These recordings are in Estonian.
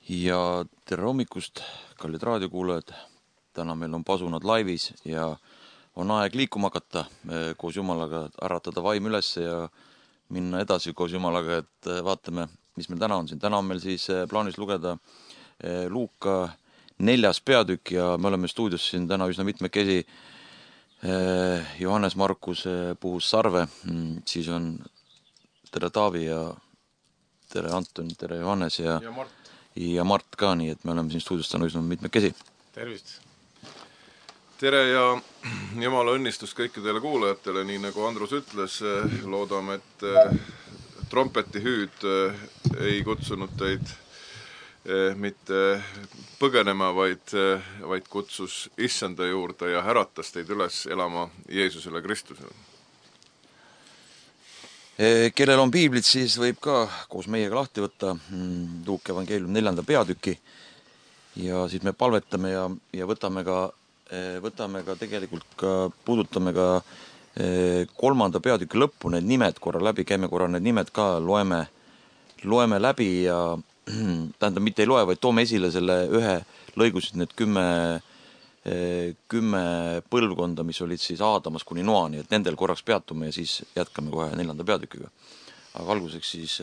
Ja tere hommikust, kallid raadiokuulajad. Täna meil on pasunad laivis ja on aeg liikuma hakata koos Jumalaga, äratada vaim üles ja minna edasi koos Jumalaga, et vaatame, mis meil täna on siin. Täna on meil siis plaanis lugeda Luuka 4. peatükk ja me oleme stuudios siin täna üsna mitmekesi. Johannes Markus puhus Sarve, siis on tere Taavi ja tere Anton, tere Johannes ja Mart ka, nii et me oleme siin stuudios täna üsna mitmekesi. Tervist! Tere ja Jumala õnnistus kõikidele kuulajatele, nii nagu Andrus ütles, loodame, et trompeti hüüd ei kutsunud teid mitte põgenema, vaid kutsus issanda juurde ja äratas teid üles elama Jeesusele Kristusele. Kellel on piiblid, siis võib ka koos meiega lahti võtta Luuka evangeelium 4. peatüki ja siis me palvetame ja võtame ka tegelikult puudutame ka 3. peatüki lõppu need nimed korra läbi, käime korra need nimed ka, loeme läbi ja tähendab, mitte ei loe, vaid toome esile selle ühe lõigusid need 10 põlvkonda, mis olid siis Aadamast kuni Noani, et nendel korraks peatume ja siis jätkame kohe 4. peatükiga. Aga alguseks siis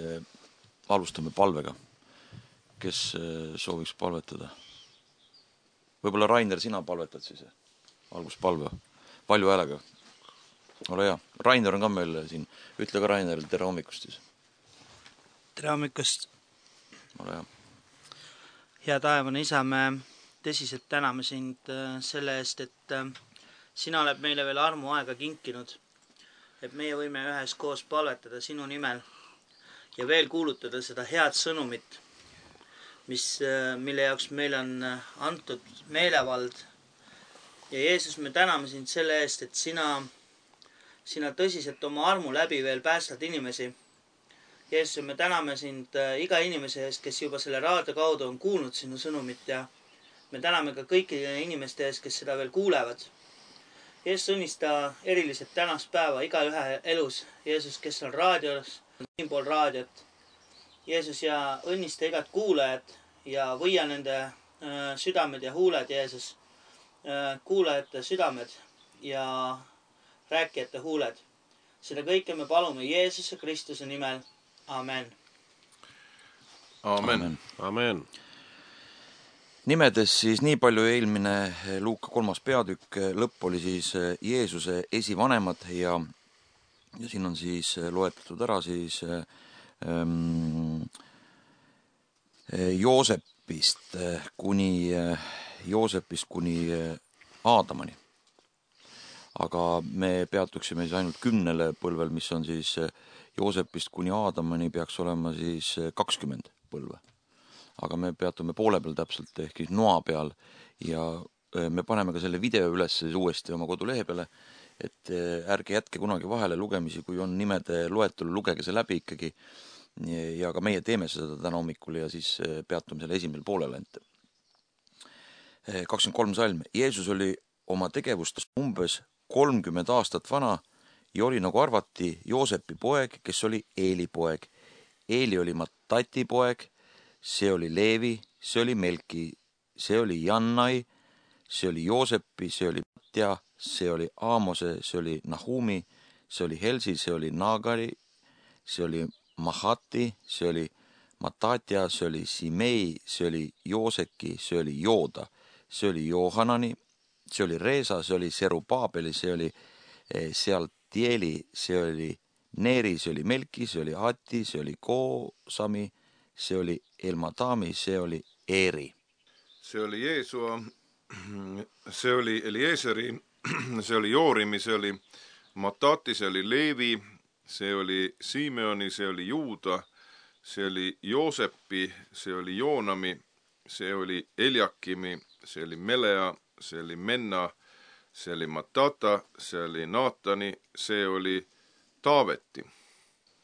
alustame palvega. Kes sooviks palvetada? Võib-olla Rainer, sina palvetad siis alguspalve. Palju häälega. Ole hea. Rainer on ka meil siin. Ütle ka Rainer, tere hommikust siis. Tere hommikust. Ole hea. Hea taevane isa, me tõsiselt täname sind selle eest, et sina oled meile veel armuaega kinkinud, et meie võime ühes koos palvetada sinu nimel ja veel kuulutada seda head sõnumit, mille jaoks meile on antud meelevald. Ja Jeesus, me täname sind selle eest, et sina tõsiselt oma armu läbi veel päästad inimesi. Jeesus, me täname sind iga inimese eest, kes juba selle raadio kaudu on kuulnud sinu sõnumit ja me täname ka kõikide inimeste eest, kes seda veel kuulevad. Jeesus, õnnista eriliselt tänast päeva iga ühe elus. Jeesus, kes on raadios, siinpool raadiot. Jeesus, ja õnnista igat kuulajat ja võia nende südamed ja huuled, Jeesus. Kuulajate südamed ja rääkijate huuled. Seda kõike me palume Jeesuse Kristuse nimel. Amen. Amen. Amen. Nimedes siis nii palju eelmine Luuka 3. peatükk, lõpp oli siis Jeesuse esivanemad ja siin on siis loetletud ära siis Joosepist kuni Aadamani. Aga me peatuksime siis ainult 10 põlvel, mis on siis Joosepist kuni Aadamani peaks olema siis 20 põlve. Aga me peatume poole peal täpselt ehk noa peal ja me paneme ka selle video üles siis uuesti oma kodulehe peale, et ärge jätke kunagi vahele lugemisi, kui on nimede loetelu, lugege see läbi ikkagi ja ka meie teeme seda täna hommikul ja siis peatume selle esimel poolele. 23 salm. Jeesus oli oma tegevust umbes 30 aastat vana ja oli nagu arvati Joosepi poeg, kes oli Eeli poeg. Eeli oli Matati poeg, see oli Leevi, see oli Melki, see oli Jannai, see oli Joosepi, see oli Matja, see oli Aamose, see oli Nahumi, see oli Helsi, see oli Nagari, see oli Mahati, see oli Matatja, see oli Simei, see oli Jooseki, see oli Jooda, see oli Johanani, see oli Reesa, see oli Serubabeli, see oli Sealtieli, see oli Neeri, see oli Melki, see oli Ati, see oli Koosami, see oli Elmadami, see oli Eeri. See oli Jeesua, see oli Elieseri, see oli Joorimi, see oli Matati, see oli Leevi, see oli Simeoni, see oli Juuda, see oli Joosepi, see oli Joonami, see oli Eliakimi, see oli Melea, see oli Menna, see oli Matata, see oli Naatani, see oli Taaveti.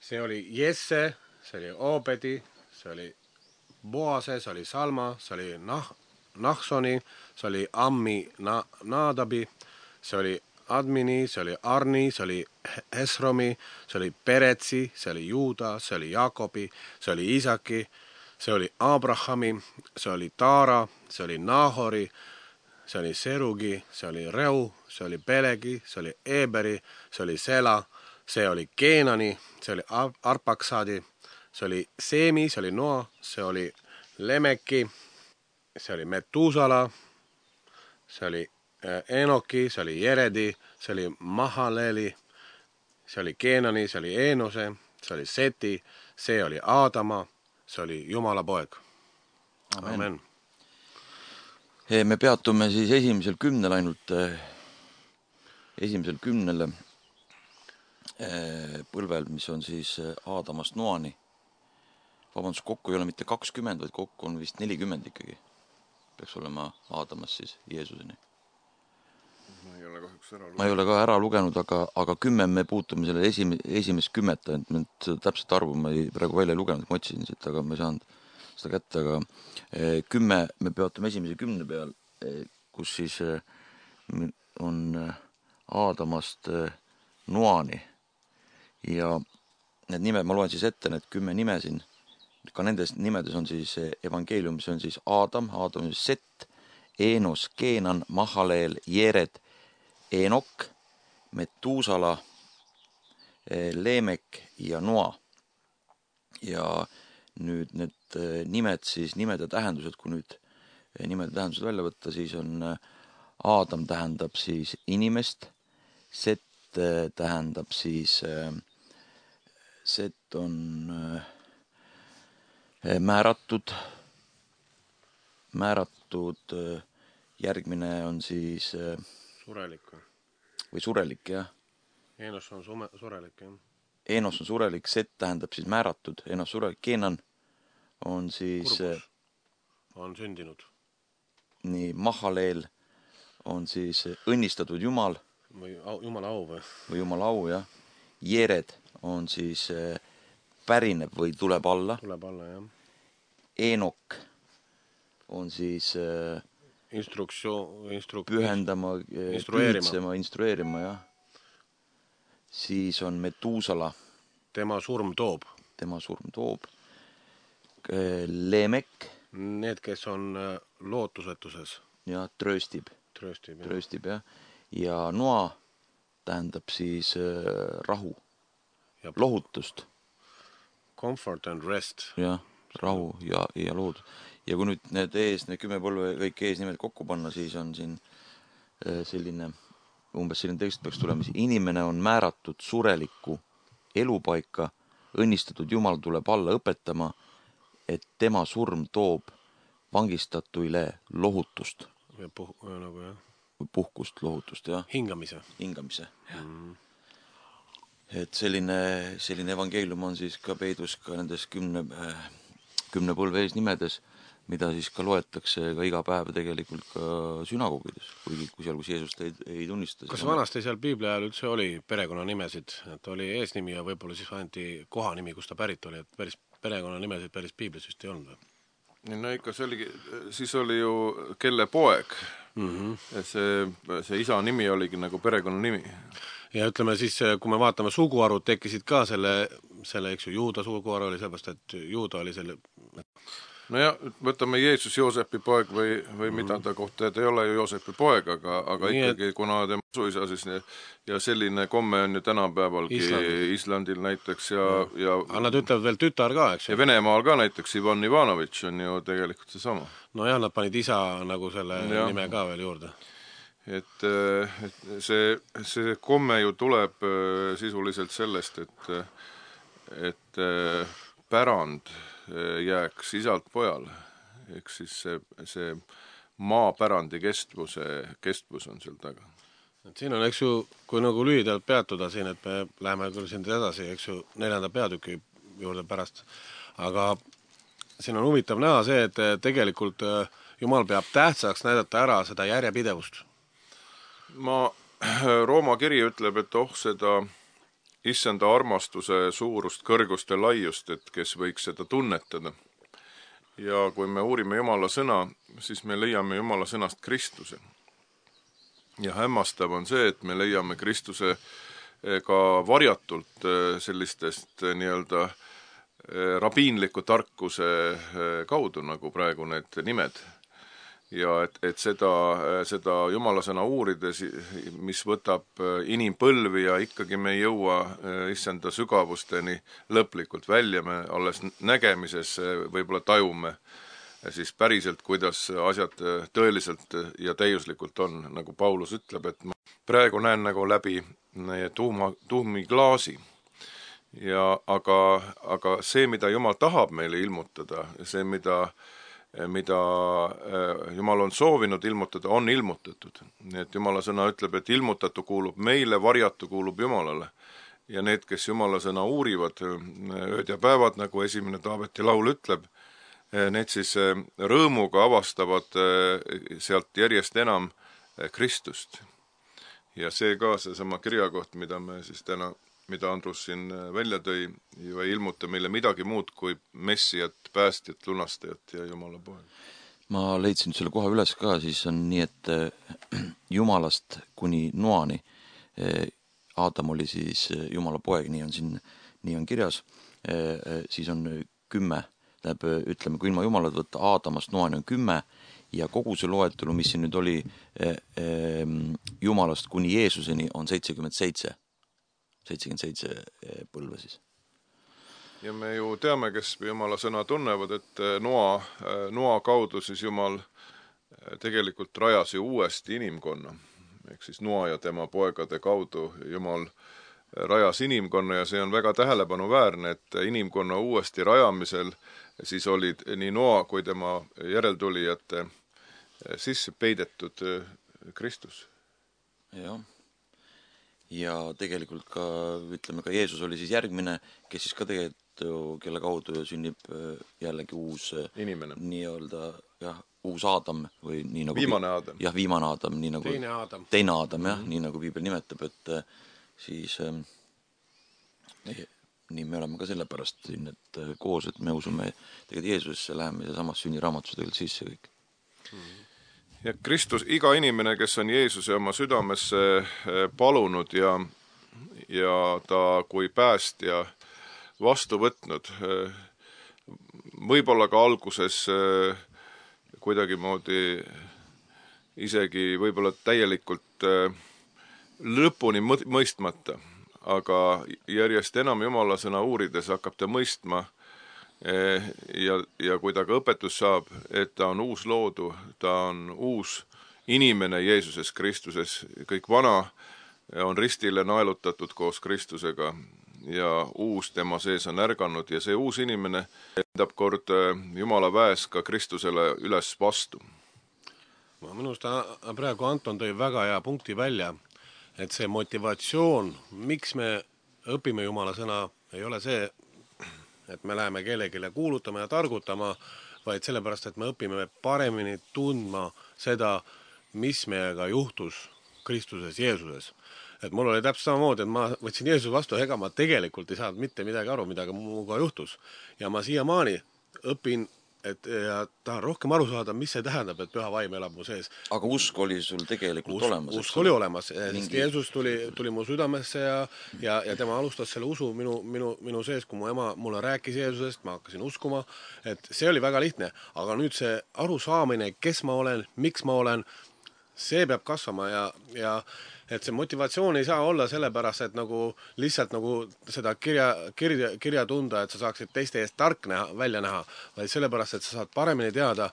See oli Jesse, see oli Obedi, see oli Boase, see oli Salma, see oli Nahsoni, see oli Ammi Naadabi, see oli Admini, see oli Arni, see oli Hesromi, see oli Peretsi, see oli Juuda, see oli Jaakobi, see oli Isaki, see oli Abrahami, see oli Taara, see oli Nahori, see oli Serugi, see oli Reu, see oli Pelegi, see oli Eberi, see oli Sela, see oli Keenani, see oli Arpaksadi, see oli Seemi, see oli Noa, see oli Lemeki, see oli Metusala, see oli Enoki, see oli Jeredi, see oli Mahaleli, see oli Keenani, see oli Eenose, see oli Seti, see oli Aadama, see oli Jumala poeg. Amen. Me peatume siis esimesel 10 ainult, esimesel 10 põlvel, mis on siis Aadamast Noani. Vabandust, kokku ei ole mitte 20, vaid kokku on vist 40 ikkagi. Peaks olema Aadamast siis Jeesuseni. Ma ei ole ka ära lugenud, aga 10 me puutume selle esimest 10, et täpselt arvu ma praegu välja ei lugenud, ma otsisin siit, aga ma ei saanud seda kätte, aga 10 me peatume esimese 10 peal, kus siis on Aadamast Noani ja need nimed, ma loen siis ette need 10 nime siin, ka nendes nimedes on siis evangeeliumis on siis Aadam on Set, Eenos, Keenan, Mahaleel, Jered, Enok, Metusala, Leemek ja Noa. Ja nüüd need nimed siis, nimede tähendused, kui nüüd nimede tähendused välja võtta, siis on Aadam tähendab siis inimest, Set tähendab siis, Set on määratud, järgmine on siis Surelik või surelik, jah. Eenos on surelik, jah. Eenos on surelik, Set tähendab siis määratud, Eenos surelik, Keenan on siis kurbus, on sündinud. Nii, Mahaleel on siis õnnistatud Jumal. Või Jumala au või? Või Jumala au, jah. Jered on siis pärineb või tuleb alla. Tuleb alla, jah. Enok on siis pühendama, instrueerima, jah. Siis on Metusala. Tema surm toob. Leemek. Need, kes on lootusetuses. Ja trööstib, jah. Ja Noa tähendab siis rahu, ja lohutust. Comfort and rest. Jah, rahu ja loodus. Ja kui nüüd need 10 põlve kõik eesnimed kokku panna, siis on siin selline, umbes selline tekst peaks tulema. Inimene on määratud sureliku elupaika, õnnistatud Jumal tuleb alla õpetama, et tema surm toob vangistatuile lohutust. Nagu, jah. Või puhkust, lohutust, jah. Hingamise. Et selline evangeelium on siis ka peidus ka nendes 10 põlve eesnimedes, mida siis ka loetakse ka iga päev tegelikult ka sünagoogides, kuigi kui seal, kus Jeesust ei tunnista. Kas vanasti seal Piibli ajal üldse oli perekonnanimesid, et oli eesnimi ja võib-olla siis anti kohanimi, kus ta pärit oli, et päris perekonnanimesid päris Piiblis vist ei olnud või? No ikka see oligi, siis oli ju kelle poeg. See isa nimi oligi nagu perekonnanimi. Ja ütleme siis, kui me vaatame suguarvud, tekkisid ka selle, eks ju, Juuda suguarv oli sellepärast, et Juuda oli selle... No ja võtame Jeesus Joosepi poeg või mida ta kohta, et ei ole ju Joosepi poeg, aga ikkagi, kuna tema suisa siis ja selline komme on ju tänapäevalgi Islandil näiteks ja... Aga nad ütlevad veel tütar ka, eks? Ja Venemaal ka näiteks Ivan Ivanovitš on ju tegelikult see sama. No jah, nad panid isa nagu selle nime ka veel juurde. Et see komme ju tuleb sisuliselt sellest, et pärand jääks isalt pojale. Ehk siis see maapärandi kestvus on seal taga. Et siin on, eks ju, kui nagu lühidalt peatuda siin, et me läheme küll siin edasi, eks ju, 4. peatüki juurde pärast. Aga siin on huvitav näha see, et tegelikult Jumal peab tähtsaks näidata ära seda järjepidevust. Rooma kiri ütleb, et seda issanda armastuse suurust, kõrgust ja laiust, et kes võiks seda tunnetada. Ja kui me uurime Jumala sõna, siis me leiame Jumala sõnast Kristuse. Ja hämmastav on see, et me leiame Kristuse ka varjatult sellistest nii-öelda rabiinliku tarkuse kaudu, nagu praegu need nimed. Ja et seda Jumala sõna uurides, mis võtab inimpõlvi ja ikkagi me ei jõua issanda sügavusteni lõplikult välja, me alles nägemises võib-olla tajume siis päriselt, kuidas asjad tõeliselt ja täiuslikult on, nagu Paulus ütleb, et ma praegu näen nagu läbi tuhmi klaasi. Aga see, mida Jumal tahab meile ilmutada, see, mida Jumal on soovinud ilmutada, on ilmutatud. Nii et Jumala sõna ütleb, et ilmutatu kuulub meile, varjatu kuulub Jumalale. Ja need, kes Jumala sõna uurivad ööd ja päevad, nagu esimene Taaveti laul ütleb, need siis rõõmuga avastavad sealt järjest enam Kristust. Ja see ka seesama kirjakoht, mida me siis täna, mida Andrus siin välja tõi, ei ilmuta meile midagi muud kui messijat, päästjat, lunastajat ja Jumala poeg. Ma leidsin selle koha üles ka, siis on nii, et Jumalast kuni Noani. Aadam oli siis Jumala poeg, nii on kirjas. Siis on 10. Ütleme, kui ilma Jumalat võtta, Aadamast Noani on 10 ja kogu see loetelu, mis siin nüüd oli Jumalast kuni Jeesuseni, on 77 põlve siis. Ja me ju teame, kes Jumala sõna tunnevad, et Noa kaudu siis Jumal tegelikult rajas ju uuesti inimkonna. Ehk siis Noa ja tema poegade kaudu Jumal rajas inimkonna ja see on väga tähelepanuväärne, et inimkonna uuesti rajamisel siis olid nii Noa kui tema järeltulijate sisse peidetud Kristus. Jah. Ja tegelikult ka, ütleme, ka Jeesus oli siis järgmine, kes siis ka tegelikult, kelle kaudu sünnib jällegi uus inimene. Nii-öelda, jah, uus Aadam või nii nagu viimane Aadam. Jah, viimane Aadam, nii nagu teine Aadam, jah, nii nagu Piibel nimetab, et siis nii me oleme ka sellepärast siin, et koos, et me usume tegelikult Jeesusesse, läheme ja samas sünniraamatus tegelikult sisse kõik. Ja Kristus, iga inimene, kes on Jeesuse oma südamesse palunud ja ta kui päästja vastu võtnud, võib-olla ka alguses kuidagimoodi isegi võib-olla täielikult lõpuni mõistmata, aga järjest enam Jumala sõna uurides hakkab ta mõistma ja kui ta ka õpetus saab, et ta on uus loodu, ta on uus inimene Jeesuses Kristuses, kõik vana on ristile naelutatud koos Kristusega ja uus tema sees on ärganud ja see uus inimene endab kord Jumala väes ka Kristusele üles vastu. Minust praegu Anton tõi väga hea punkti välja, et see motivatsioon, miks me õpime Jumala sõna, ei ole see, et me läheme kellelegi kuulutama ja targutama, vaid sellepärast, et me õpime paremini tundma seda, mis meiega juhtus Kristuses, Jeesuses. Et mul oli täpselt samamoodi, et ma võtsin Jeesus vastu, ega ma tegelikult ei saanud mitte midagi aru, midagi muuga juhtus. Ja ma siiamaani õpin, ja tahan rohkem aru saada, mis see tähendab, et püha vaim elab mu sees. Aga usk oli sul tegelikult olemas? Usk oli olemas, sest Jeesus tuli mu südamesse ja tema alustas selle usu minu sees, kui mu ema mulle rääkis Jeesusest, ma hakkasin uskuma, et see oli väga lihtne. Aga nüüd see arusaamine, kes ma olen, miks ma olen, see peab kasvama ja et see motivatsioon ei saa olla sellepärast, et nagu lihtsalt nagu seda kirja tunda, et sa saaksid teiste eest tark välja näha, vaid sellepärast, et sa saad paremini teada,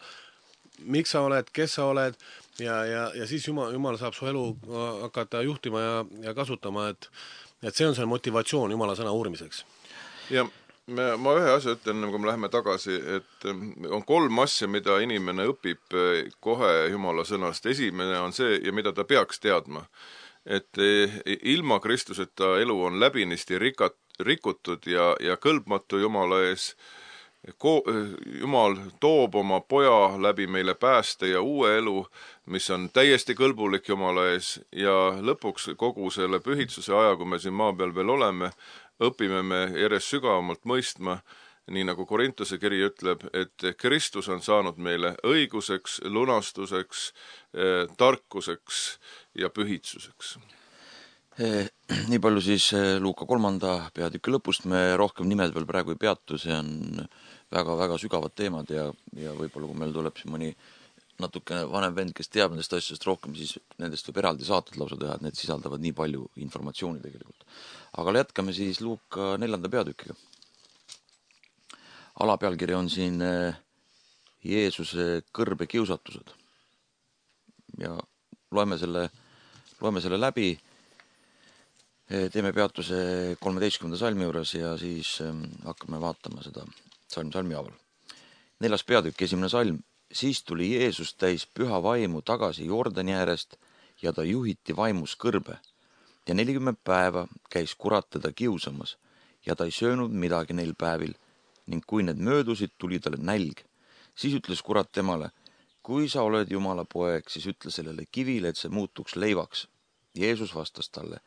miks sa oled, kes sa oled ja siis Jumal saab su elu hakata juhtima ja kasutama, et see on see motivatsioon Jumala sõna uurimiseks. Ja ma ühe asja ütlen, kui me läheme tagasi, et on 3 asja, mida inimene õpib kohe Jumala sõnast. Esimene on see, ja mida ta peaks teadma, et ilma Kristuseta elu on läbinisti rikutud ja kõlbmatu Jumala ees. Jumal toob oma poja läbi meile pääste ja uue elu, mis on täiesti kõlbulik Jumala ees ja lõpuks kogu selle pühitsuse aja, kui me siin maa peal veel oleme, õpime me järjest sügavamalt mõistma, nii nagu Korintuse kiri ütleb, et Kristus on saanud meile õiguseks, lunastuseks, tarkuseks ja pühitsuseks. Nii palju siis Luuka 3. peatüki lõpust, me rohkem nimed veel praegu ei peatu, see on väga-väga sügavad teemad ja võib-olla kui meil tuleb siin mõni natukene vanem vend, kes teab nendest asjadest rohkem, siis nendest võib eraldi saated lausa teha, et need sisaldavad nii palju informatsiooni tegelikult. Aga jätkame siis Luuka 4. peatükiga. Alapealkiri on siin Jeesuse kõrbekiusatused. Ja loeme selle läbi. Teeme peatuse 13. salmi juures ja siis hakkame vaatama seda salmi haaval. 4. peatükk, 1. salm. Siis tuli Jeesus täis püha vaimu tagasi Jordani äärest ja ta juhiti vaimus kõrbe. Ja 40 päeva käis kurat teda kiusamas ja ta ei söönud midagi neil päevil ning kui need möödusid, tuli talle nälg. Siis ütles kurat temale, kui sa oled Jumala poeg, siis ütle sellele kivile, et see muutuks leivaks. Jeesus vastas talle,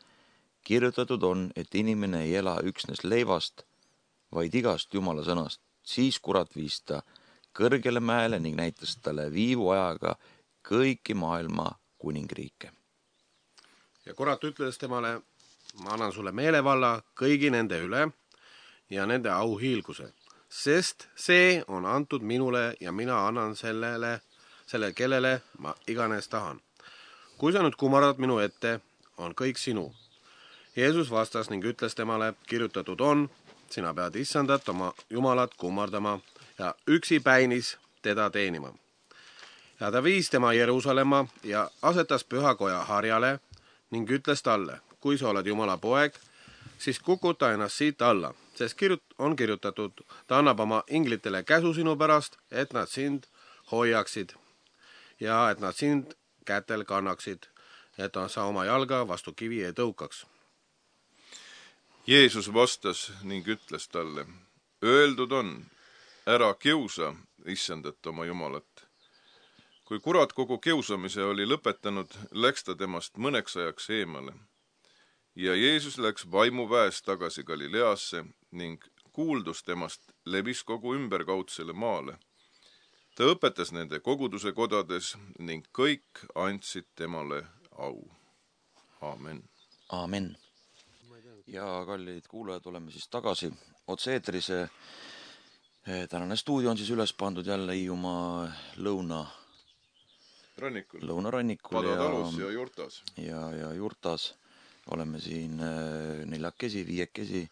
kirjutatud on, et inimene ei ela üksnes leivast, vaid igast Jumala sõnast. Siis kurat viis ta kõrgele mäele ning näitas talle viivuajaga kõiki maailma kuningriike. Ja kurat ütles temale, ma annan sulle meelevalla kõigi nende üle ja nende auhiilguse, sest see on antud minule ja mina annan selle kellele ma iganes tahan. Kui sa nüüd kumardad minu ette, on kõik sinu. Jeesus vastas ning ütles temale, kirjutatud on, sina pead issandat oma Jumalat kummardama ja üksi päinis teda teenima. Ja ta viis tema Jeruusalemma ja asetas pühakoja harjale ning ütles talle, kui sa oled Jumala poeg, siis kukuta ennast siit alla, sest on kirjutatud, ta annab oma inglitele käsu sinu pärast, et nad sind hoiaksid ja et nad sind kätel kannaksid, et sa oma jalga vastu kivi ei tõukaks. Jeesus vastas ning ütles talle, öeldud on, ära kiusa issandat oma Jumalat. Kui kurat kogu kiusamise oli lõpetanud, läks ta temast mõneks ajaks eemale. Ja Jeesus läks vaimuväes tagasi Galileasse ning kuuldus temast levis kogu ümberkaudsele maale. Ta õpetas nende koguduse kodades ning kõik andsid temale au. Aamen. Aamen. Ja kallid kuulajad, oleme siis tagasi otse-eetris. Tänane stuudio on siis üles pandud jälle Hiiumaa lõunarannikul Padatalus ja Jurtas. Ja Jurtas oleme siin 4-5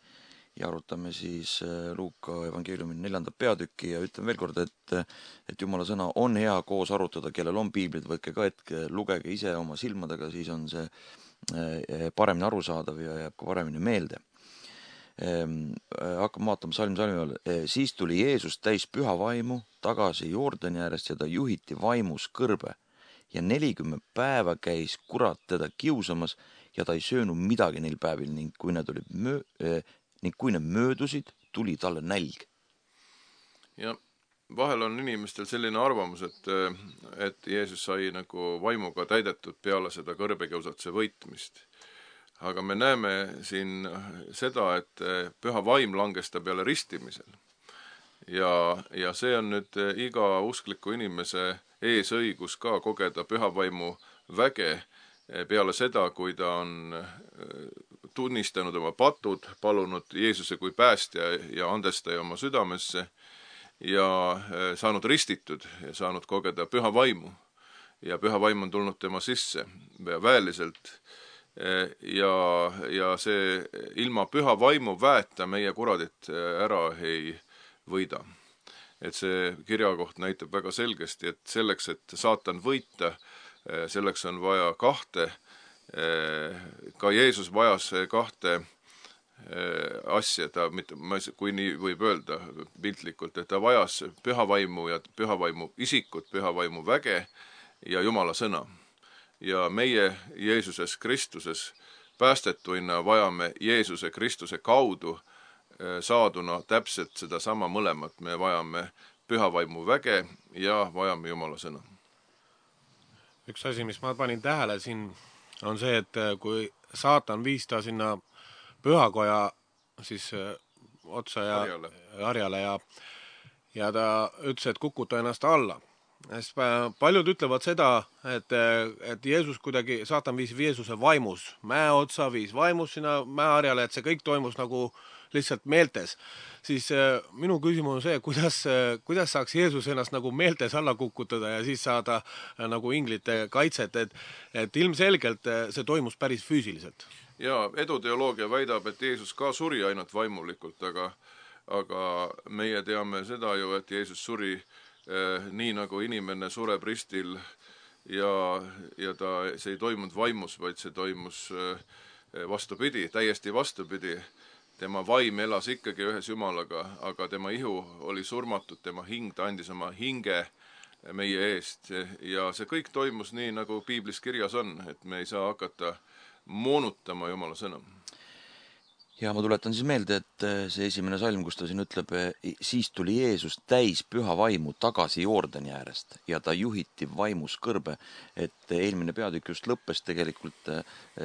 ja arutame siis Luuka evangeeliumi 4. peatükki ja ütlen veel kord, et Jumala sõna on hea koos arutada, kellel on piiblid, võtke ka hetke, lugege ise oma silmadega, siis on see paremini arusaadav ja jääb ka paremini meelde. Hakkame vaatama salmi all. Siis tuli Jeesus täis püha vaimu tagasi Jordani äärest ja ta juhiti vaimus kõrbe ja 40 päeva käis kurat teda kiusamas ja ta ei söönud midagi neil päevil ning kui need möödusid, tuli talle nälg. Ja vahel on inimestel selline arvamus, et Jeesus sai nagu vaimuga täidetud peale seda kõrbekiusatuse võitmist. Aga me näeme siin seda, et püha vaim langes ta peale ristimisel. Ja see on nüüd iga uskliku inimese eesõigus ka kogeda püha vaimu väge peale seda, kui ta on tunnistanud oma patud, palunud Jeesuse kui päästja ja andestaja oma südamesse ja saanud ristitud ja saanud kogeda püha vaimu. Ja püha vaim on tulnud tema sisse väeliselt ja see ilma püha vaimu väeta meie kuradit ära ei võida. Et see kirjakoht näitab väga selgesti, et selleks, et saatan võita, selleks on vaja kahte, ka Jeesus vajas kahte asja, kui nii võib öelda piltlikult, et ta vajas pühavaimu ja pühavaimu isikut, pühavaimu väge ja Jumala sõna. Ja meie Jeesuses Kristuses päästetuina vajame Jeesuse Kristuse kaudu saaduna täpselt seda sama mõlemat. Me vajame pühavaimu väge ja vajame Jumala sõna. Üks asi, mis ma panin tähele siin, on see, et kui saatan viis ta sinna pühakoja siis otsa ja harjale ja ta ütles, et kukuta ennast alla. Paljud ütlevad seda, et Jeesus kuidagi, saatan viis Jeesuse vaimus mäe otsa, viis vaimus sinna mäeharjale, et see kõik toimus nagu lihtsalt meeltes. Siis minu küsimus on see, kuidas saaks Jeesus ennast nagu meeltes alla kukutada ja siis saada nagu inglite kaitset, et ilmselgelt see toimus päris füüsiliselt. Ja eduteoloogia väidab, et Jeesus ka suri ainult vaimulikult, aga meie teame seda ju, et Jeesus suri nii nagu inimene sureb ristil ja see ei toimunud vaimus, vaid see toimus vastupidi, täiesti vastupidi. Tema vaim elas ikkagi ühes Jumalaga, aga tema ihu oli surmatud, tema hing, ta andis oma hinge meie eest ja see kõik toimus nii, nagu piiblis kirjas on, et me ei saa hakata moonutama Jumala sõna. Ja ma tuletan siis meelde, et see esimene salm, kus ta siin ütleb, siis tuli Jeesus täis püha vaimu tagasi Jordani äärest ja ta juhiti vaimus kõrbe, et eelmine peatükk just lõppes tegelikult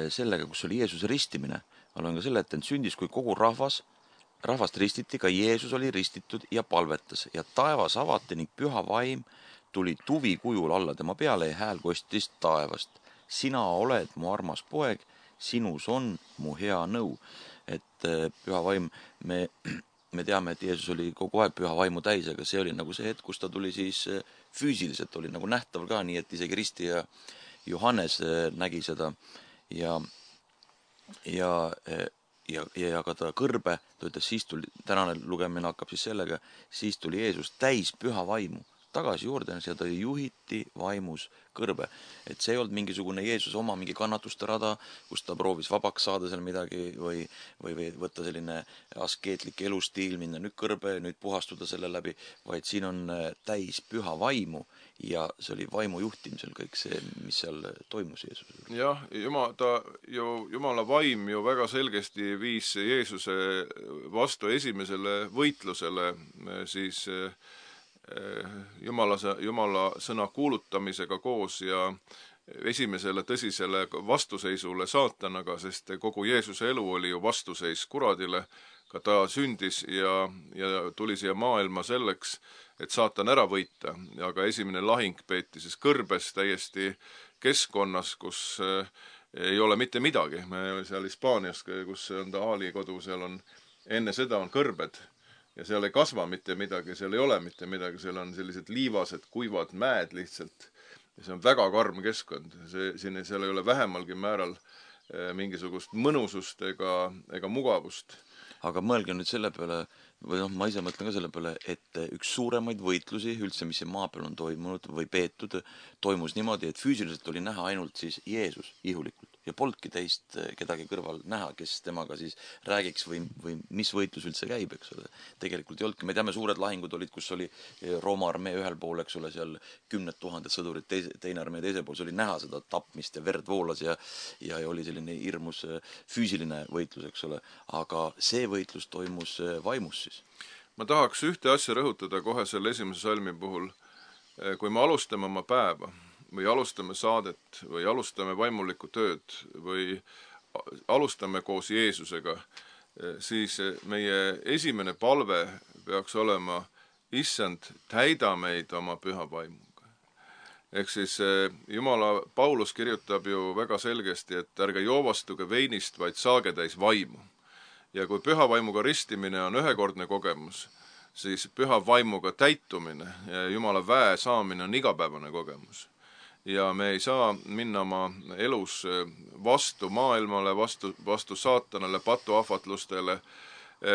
sellega, kus oli Jeesuse ristimine. Ma olen ka selle, et sündis, kui kogu rahvast ristiti, ka Jeesus oli ristitud ja palvetas ja taevas avati ning püha vaim tuli tuvi kujul alla tema peale ja hääl kostis taevast. Sina oled mu armas poeg, sinus on mu hea nõu. Et püha vaim, me teame, et Jeesus oli kogu aeg püha vaimu täis, aga see oli nagu see hetk, kus ta tuli siis füüsiliselt, oli nagu nähtaval ka, nii et isegi risti ja Johannes nägi seda ja ka ta kõrbe, ta ütles, siis tuli, tänane lugemine hakkab siis sellega, siis tuli Jeesus täis püha vaimu tagasi Jordanis ja ta juhiti vaimus kõrbe. Et see ei olnud mingisugune Jeesus oma mingi kannatuste rada, kus ta proovis vabaks saada seal midagi või võtta selline askeetlik elustiil, minna nüüd kõrbe, nüüd puhastuda selle läbi, vaid siin on täis püha vaimu ja see oli vaimu juhtimisel kõik see, mis seal toimus Jeesusel. Jah, Jumala vaim ju väga selgesti viis Jeesuse vastu esimesele võitlusele siis Jumala sõna kuulutamisega koos ja esimesele tõsisele vastuseisule saatanaga, sest kogu Jeesuse elu oli ju vastuseis kuradile, ka ta sündis ja tuli siia maailma selleks, et saatan ära võita, aga esimene lahing peeti siis kõrbes täiesti keskkonnas, kus ei ole mitte midagi. Me seal Hispaanias, kus on ta Aali kodu, seal on, enne seda on kõrbed ja seal ei kasva mitte midagi, seal ei ole mitte midagi, seal on sellised liivased, kuivad mäed lihtsalt. Ja see on väga karm keskkond. Seal ei ole vähemalgi määral mingisugust mõnusust ega mugavust. Aga mõelge nüüd selle peale, või ma ise mõtlen ka selle peale, et üks suuremaid võitlusi üldse, mis maa peal on toimunud või peetud, toimus niimoodi, et füüsiliselt oli näha ainult siis Jeesus ihulikult ja polnudki teist kedagi kõrval näha, kes temaga siis räägiks või mis võitlus üldse käib, eks ole. Tegelikult ei olnudki, me teame, suured lahingud olid, kus oli Rooma armee ühel pool, eks ole, seal 10 000 sõdurit, teine armee teisel pool, see oli näha seda tapmist ja verd voolas ja oli selline hirmus füüsiline võitlus, eks ole. Aga see võitlus toimus vaimus siis. Ma tahaks ühte asja rõhutada kohe selle esimese salmi puhul. Kui me alustame oma päeva või alustame saadet või alustame vaimulikku tööd või alustame koos Jeesusega, siis meie esimene palve peaks olema, issand, täida meid oma püha vaimuga. Ehk siis Jumala Paulus kirjutab ju väga selgesti, et ärge joovastuge veinist, vaid saage täis vaimu. Ja kui püha vaimuga ristimine on ühekordne kogemus, siis püha vaimuga täitumine ja Jumala väe saamine on igapäevane kogemus. Ja me ei saa minna oma elus vastu maailmale, vastu saatanale, patuahvatlustele.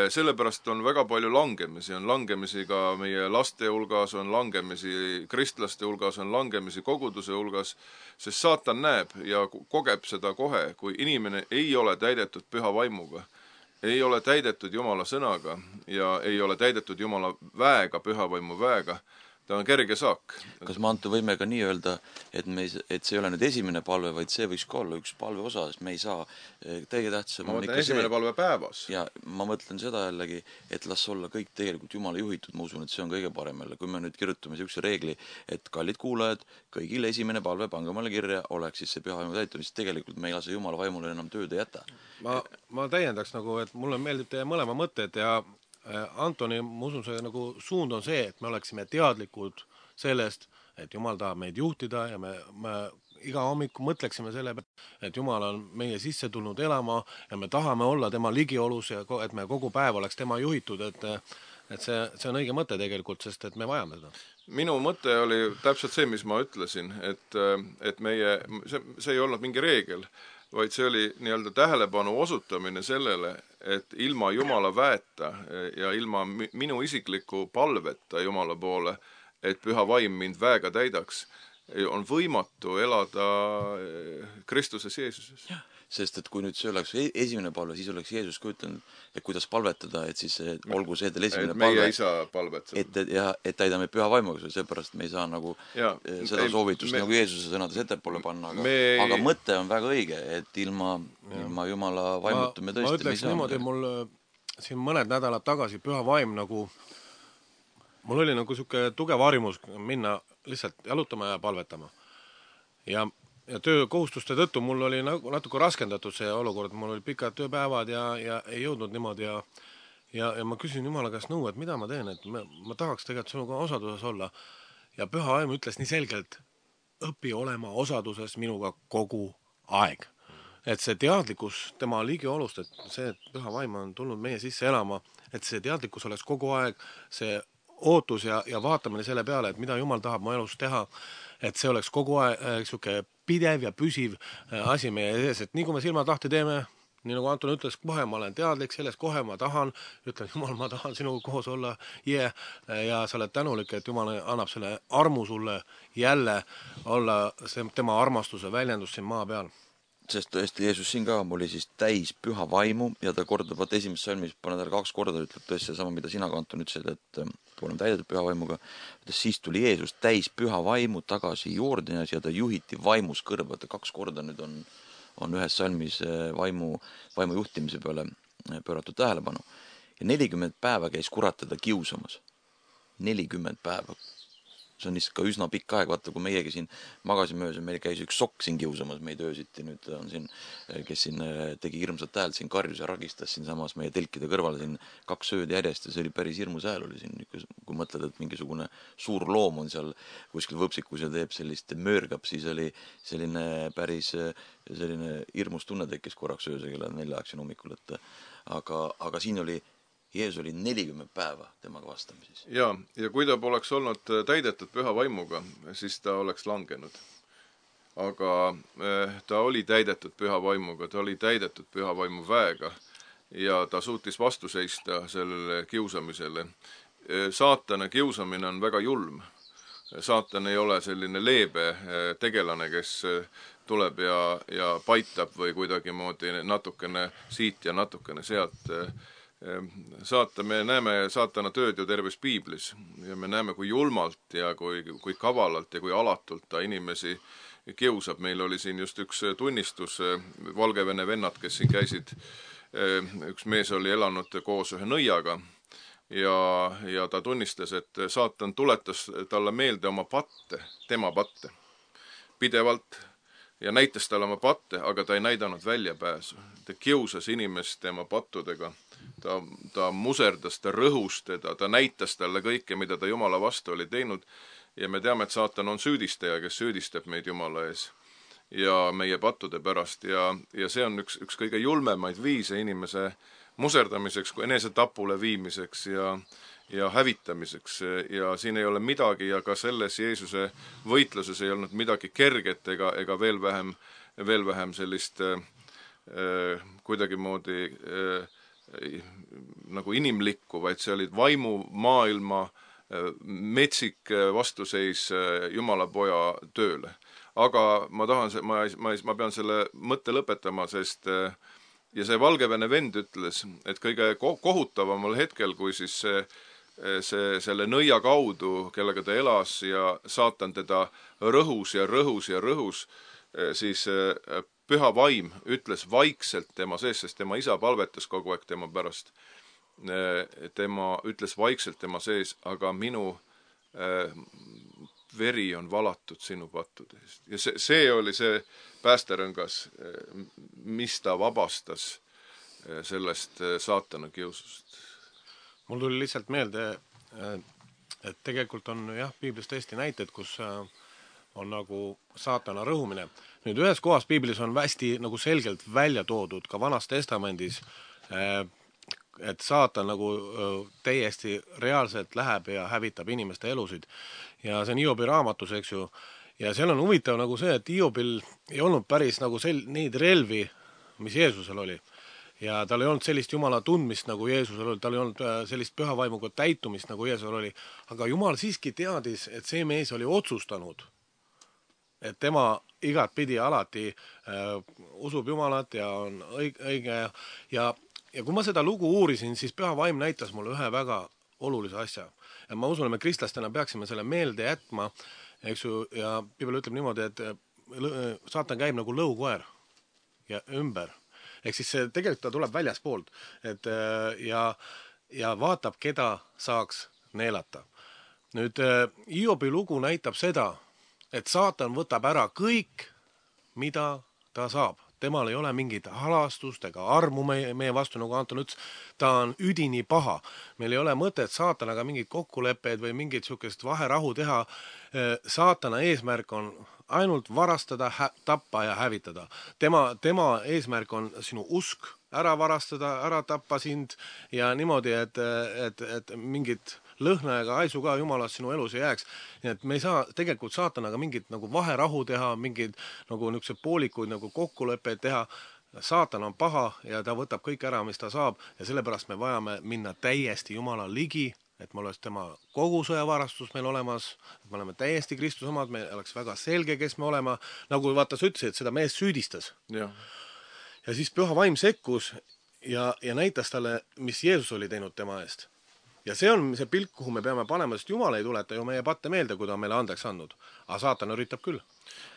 Sellepärast on väga palju langemisi. On langemisi ka meie laste hulgas, on langemisi kristlaste hulgas, on langemisi koguduse hulgas, sest saatan näeb ja kogeb seda kohe, kui inimene ei ole täidetud püha vaimuga, ei ole täidetud Jumala sõnaga ja ei ole täidetud Jumala väega, püha vaimu väega, ta on kerge saak. Kas me Anto võime ka nii öelda, et see ei ole nüüd esimene palve, vaid see võiks ka olla üks palve osa, sest me ei saa täiega tähtsam. Ma mõtlen esimene palve päevas. Ja ma mõtlen seda jällegi, et las olla kõik tegelikult Jumala juhitud, ma usun, et see on kõige parem jälle. Kui me nüüd kirjutame sellise reegli, et kallid kuulajad, kõigil esimene palve, pange omale kirja, oleks siis see püha vaimu täitumine, siis tegelikult me ei lase Jumala vaimule enam tööd ei jäta. Ma täiendaks nagu, et mulle meeldib teie mõlema mõtted ja Antoni, ma usun, see nagu suund on see, et me oleksime teadlikud sellest, et Jumal tahab meid juhtida ja me iga hommiku mõtleksime selle peale, et Jumal on meie sisse tulnud elama ja me tahame olla tema ligiolus ja et me kogu päev oleks tema juhitud, et see on õige mõte tegelikult, sest et me vajame seda. Minu mõte oli täpselt see, mis ma ütlesin, et meie, see ei olnud mingi reegel, vaid see oli nii-öelda tähelepanu osutamine sellele, et ilma Jumala väeta ja ilma minu isikliku palveta Jumala poole, et püha vaim mind väega täidaks, on võimatu elada Kristuses Jeesuses. Sest et kui nüüd see oleks esimene palve, siis oleks Jeesus ka ütlenud, et kuidas palvetada, et siis olgu see teil esimene palve. Meie ei saa palvetada. Et täidame püha vaimuga, seepärast me ei saa nagu seda soovitust nagu Jeesuse sõnades ettepoole panna, aga mõte on väga õige, et ilma Jumala vaimutu me tõesti ma ütleks niimoodi, mul siin mõned nädalad tagasi püha vaim nagu, mul oli nagu siuke tugev harjumus minna lihtsalt jalutama ja palvetama. Ja töökohustuste tõttu mul oli natuke raskendatud see olukord, mul oli pikad tööpäevad ja ei jõudnud niimoodi ja ma küsin Jumala käest nõu, et mida ma teen, et ma tahaks tegelikult sinuga osaduses olla. Ja püha vaim ütles nii selgelt, õpi olema osaduses minuga kogu aeg. Et see teadlikkus tema ligiolust, et see, et püha vaim on tulnud meie sisse elama, et see teadlikkus oleks kogu aeg, see ootus ja vaatamine selle peale, et mida Jumal tahab mu elus teha, et see oleks kogu aeg siuke pidev ja püsiv asi meie ees, et nii kui me silmad lahti teeme, nii nagu Anton ütles, kohe ma olen teadlik sellest, kohe ma tahan, ütlen Jumal, ma tahan sinuga koos olla, ja sa oled tänulik, et Jumal annab selle armu sulle jälle olla tema armastuse väljendus siin maa peal. Sest tõesti Jeesus siin ka oli siis täis püha vaimu ja ta kordab, vaat esimeses salmis pane talle 2 korda, ütleb tõesti sama, mida sina ka Anton ütlesid, et oleme täidetud püha vaimuga. Siis tuli Jeesus täis püha vaimu tagasi Jordanis ja ta juhiti vaimus kõrva. 2 korda nüüd on ühes salmis vaimu juhtimise peale pööratud tähelepanu. Ja 40 päeva käis kurat teda kiusamas. 40 päeva. See on lihtsalt ka üsna pikk aeg, vaata, kui meiegi siin magasime öös ja meil käis üks sokk siin kiusamas meid öösiti, nüüd on siin, kes siin tegi hirmsat häält, siin karjus ja ragistas siin samas meie telkide kõrval siin 2 ööd järjest ja see oli päris hirmus hääl oli siin, kui mõtled, et mingisugune suur loom on seal kuskil võpsikus ja teeb sellist möörgab, siis oli selline päris selline hirmus tunne tekkis korraks ööse kella 4 siin hommikul, et aga siin oli Jeesus oli 40 päeva temaga vastamises. Ja kui ta poleks olnud täidetud püha vaimuga, siis ta oleks langenud. Aga ta oli täidetud püha vaimuga, ta oli täidetud püha vaimu väega ja ta suutis vastu seista sellele kiusamisele. Saatana kiusamine on väga julm. Saatan ei ole selline leebe tegelane, kes tuleb ja paitab või kuidagi moodi natukene siit ja natukene sealt. Me näeme saatana tööd ju terves piiblis ja me näeme, kui julmalt ja kui kavalalt ja kui alatult ta inimesi kiusab. Meil oli siin just üks tunnistus, Valgevene vennad, kes siin käisid. Üks mees oli elanud koos ühe nõiaga ja ta tunnistas, et saatan tuletas talle meelde oma patte, tema patte, pidevalt ja näitas talle oma patte, aga ta ei näidanud väljapääsu. Ta kiusas inimest tema pattudega. Ta muserdas, ta rõhus teda, ta näitas talle kõike, mida ta Jumala vastu oli teinud ja me teame, et saatan on süüdistaja, kes süüdistab meid Jumala ees ja meie pattude pärast ja see on üks kõige julmemaid viise inimese muserdamiseks, kui enesetapule viimiseks ja hävitamiseks ja siin ei ole midagi ja ka selles Jeesuse võitluses ei olnud midagi kerget ega veel vähem sellist kuidagi moodi nagu inimlikku, vaid see olid vaimu maailma metsik vastuseis Jumala poja tööle. Aga ma pean selle mõtte lõpetama, sest ja see Valgevene vend ütles, et kõige kohutavamal hetkel, kui siis selle nõia kaudu, kellega ta elas ja saatan teda rõhus ja rõhus ja rõhus, siis püha vaim ütles vaikselt tema sees, sest tema isa palvetas kogu aeg tema pärast. Tema ütles vaikselt tema sees, aga minu veri on valatud sinu pattude eest. Ja see oli see päästerõngas, mis ta vabastas sellest saatana kiusust. Mul tuli lihtsalt meelde et tegelikult on jah, piiblis tõesti näited, kus on nagu saatana rõhumine. Nüüd ühes kohas piiblis on hästi nagu selgelt välja toodud ka Vanas Testamendis, et saatan nagu täiesti reaalselt läheb ja hävitab inimeste elusid. Ja see on Hiobi raamatus, eks ju. Ja seal on huvitav nagu see, et Hiobil ei olnud päris nagu neid relvi, mis Jeesusel oli. Ja tal ei olnud sellist Jumala tundmist nagu Jeesusel oli, tal ei olnud sellist püha vaimuga täitumist nagu Jeesusel oli. Aga Jumal siiski teadis, et see mees oli otsustanud, et tema igat pidi alati usub Jumalat ja on õige. Ja kui ma seda lugu uurisin, siis püha vaim näitas mulle ühe väga olulise asja. Ja ma usun, et me kristlastena peaksime selle meelde jätma, eks ju, ja Piibel ütleb niimoodi, et saatan käib nagu lõukoer ja ümber. Ehk siis see tegelikult ta tuleb väljaspoolt, et ja vaatab, keda saaks neelata. Nüüd Hiobi lugu näitab seda, et saatan võtab ära kõik, mida ta saab. Temal ei ole mingit halastust ega armu meie vastu, nagu Anton ütles, ta on üdini paha. Meil ei ole mõtet saatanaga mingid kokkuleppeid või mingit sukest vaherahu teha. Saatana eesmärk on ainult varastada, tappa ja hävitada. Tema eesmärk on sinu usk ära varastada, ära tappa sind ja niimoodi, et mingit lõhna ega haisu ka Jumalast sinu elus ei jääks. Nii et me ei saa tegelikult saatanaga mingit nagu vaherahu teha, mingid nagu niisugused poolikuid nagu kokkuleppeid teha. Saatan on paha ja ta võtab kõik ära, mis ta saab ja sellepärast me vajame minna täiesti Jumala ligi, et me oleks tema kogu sõjavarastus meil olemas, et me oleme täiesti Kristuse omad, me oleks väga selge, kes me olema. Nagu vaata sa ütlesid, et seda mees süüdistas. Ja siis püha vaim sekkus ja näitas talle, mis Jeesus oli teinud tema eest. Ja see on see pilk, kuhu me peame panema, sest Jumal ei tuleta ju meie patte meelde, kui ta on meile andeks andnud. Aga saatan üritab küll.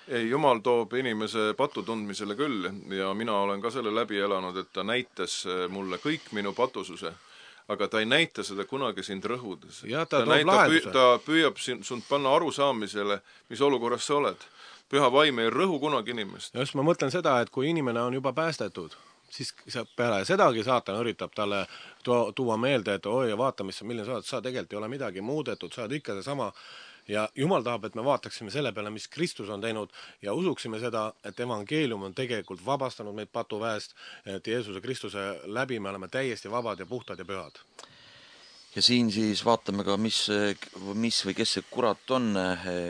Ei, Jumal toob inimese patu tundmisele küll ja mina olen ka selle läbi elanud, et ta näitas mulle kõik minu patususe, aga ta ei näita seda kunagi sind rõhudes. Ja ta toob lahenduse. Ta püüab sind panna arusaamisele, mis olukorras sa oled. Püha vaim ei rõhu kunagi inimest. Just ma mõtlen seda, et kui inimene on juba päästetud, siis peale sedagi saatan üritab talle tuua meelde, et oi, vaata, milline sa oled, sa tegelikult ei ole midagi muudetud, sa oled ikka see sama. Ja Jumal tahab, et me vaataksime selle peale, mis Kristus on teinud ja usuksime seda, et evangeelium on tegelikult vabastanud meid patuväest, et Jeesuse Kristuse läbi me oleme täiesti vabad ja puhtad ja pühad. Ja siin siis vaatame ka, mis või kes see kurat on.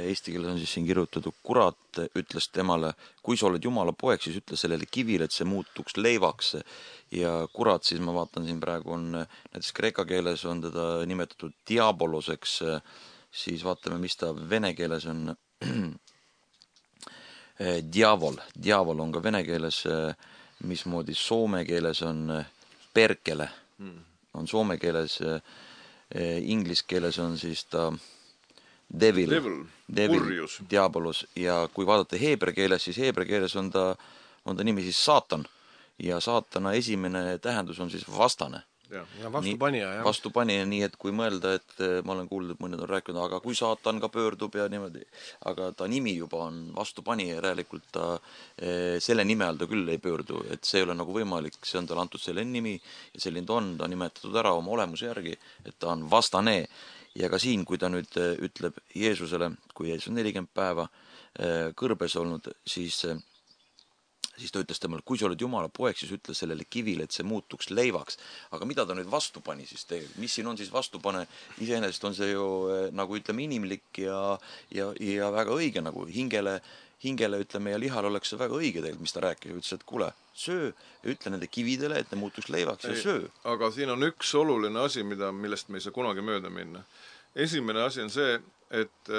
Eesti keeles on siis siin kirjutatud, kurat ütles temale, kui sa oled Jumala poeg, siis ütle sellele kivile, et see muutuks leivaks. Ja kurat siis ma vaatan siin praegu on, näiteks kreeka keeles on teda nimetatud diaboloseks, siis vaatame, mis ta vene keeles on. Diavol on ka vene keeles, mismoodi soome keeles on perkele, on soome keeles. Inglis keeles on siis ta devil, diabolos ja kui vaadata heebra keeles, siis heebra keeles on ta nimi siis saatan ja saatana esimene tähendus on siis vastane. Ja vastupanija, vastupanija, nii et kui mõelda, et ma olen kuulnud, et mõned on rääkinud, aga kui saatan ka pöördub ja niimoodi, aga ta nimi juba on vastupanija ja räälikult ta selle nime all ta küll ei pöördu, et see ei ole nagu võimalik, see on tal antud selle nimi ja selline ta on nimetatud ära oma olemuse järgi, et ta on vastane. Ja ka siin, kui ta nüüd ütleb Jeesusele, kui Jeesus on 40 päeva kõrbes olnud, siis ta ütles temale, kui sa oled Jumala poeg, siis ütle sellele kivile, et see muutuks leivaks. Aga mida ta nüüd vastu pani siis tegelikult? Mis siin on siis vastupane? Iseenesest on see ju nagu ütleme inimlik ja väga õige nagu hingele ütleme ja lihal oleks see väga õige tegelikult, mis ta rääkis. Ütles, et kuule, söö ja ütle nende kividele, et ne muutuks leivaks ja söö. Aga siin on üks oluline asi, millest me ei saa kunagi mööda minna. Esimene asi on see, et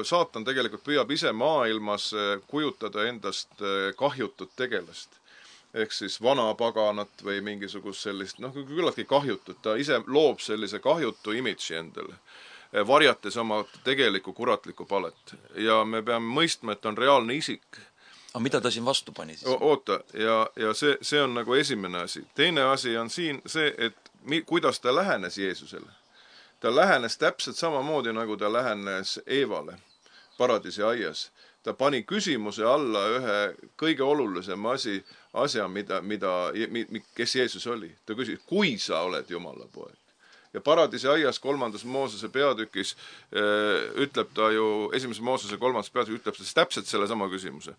saatan tegelikult püüab ise maailmas kujutada endast kahjutut tegelast. Ehk siis vanapaganat või mingisugust sellist, küllaltki kahjutut. Ta ise loob sellise kahjutu imidži endale, varjates oma tegelikku kuratlikku palet. Ja me peame mõistma, et on reaalne isik. Aga mida ta siin vastu pani siis? Oota, ja see on nagu esimene asi. Teine asi on siin see, et kuidas ta lähenes Jeesusele. Ta lähenes täpselt samamoodi, nagu ta lähenes Eevale paradiisi aias. Ta pani küsimuse alla ühe kõige olulisema asja, kes Jeesus oli. Ta küsis, kui sa oled Jumala poeg. Ja Paradiisi aias 3. Moosese peatükis ütleb ta ju, 1. Moosese 3. peatükis ütleb ta täpselt selle sama küsimuse.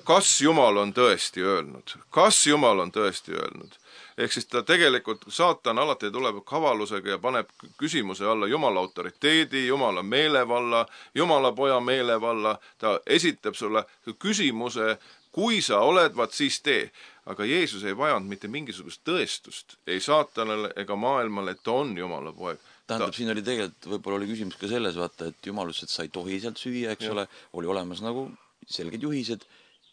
Kas Jumal on tõesti öelnud? Kas Jumal on tõesti öelnud? Ehk siis ta tegelikult, saatan alati tuleb kavalusega ja paneb küsimuse alla Jumala autoriteedi, Jumala meelevalla, Jumala poja meelevalla, ta esitab sulle küsimuse, kui sa oled, vaat siis tee. Aga Jeesus ei vajanud mitte mingisugust tõestust, ei saatanale ega maailmale, et ta on Jumala poeg. Tähendab, siin oli tegelikult, võib-olla oli küsimus ka selles, vaata, et Jumal ütles, et sa ei tohi sealt süüa, eks ole, oli olemas nagu selged juhised,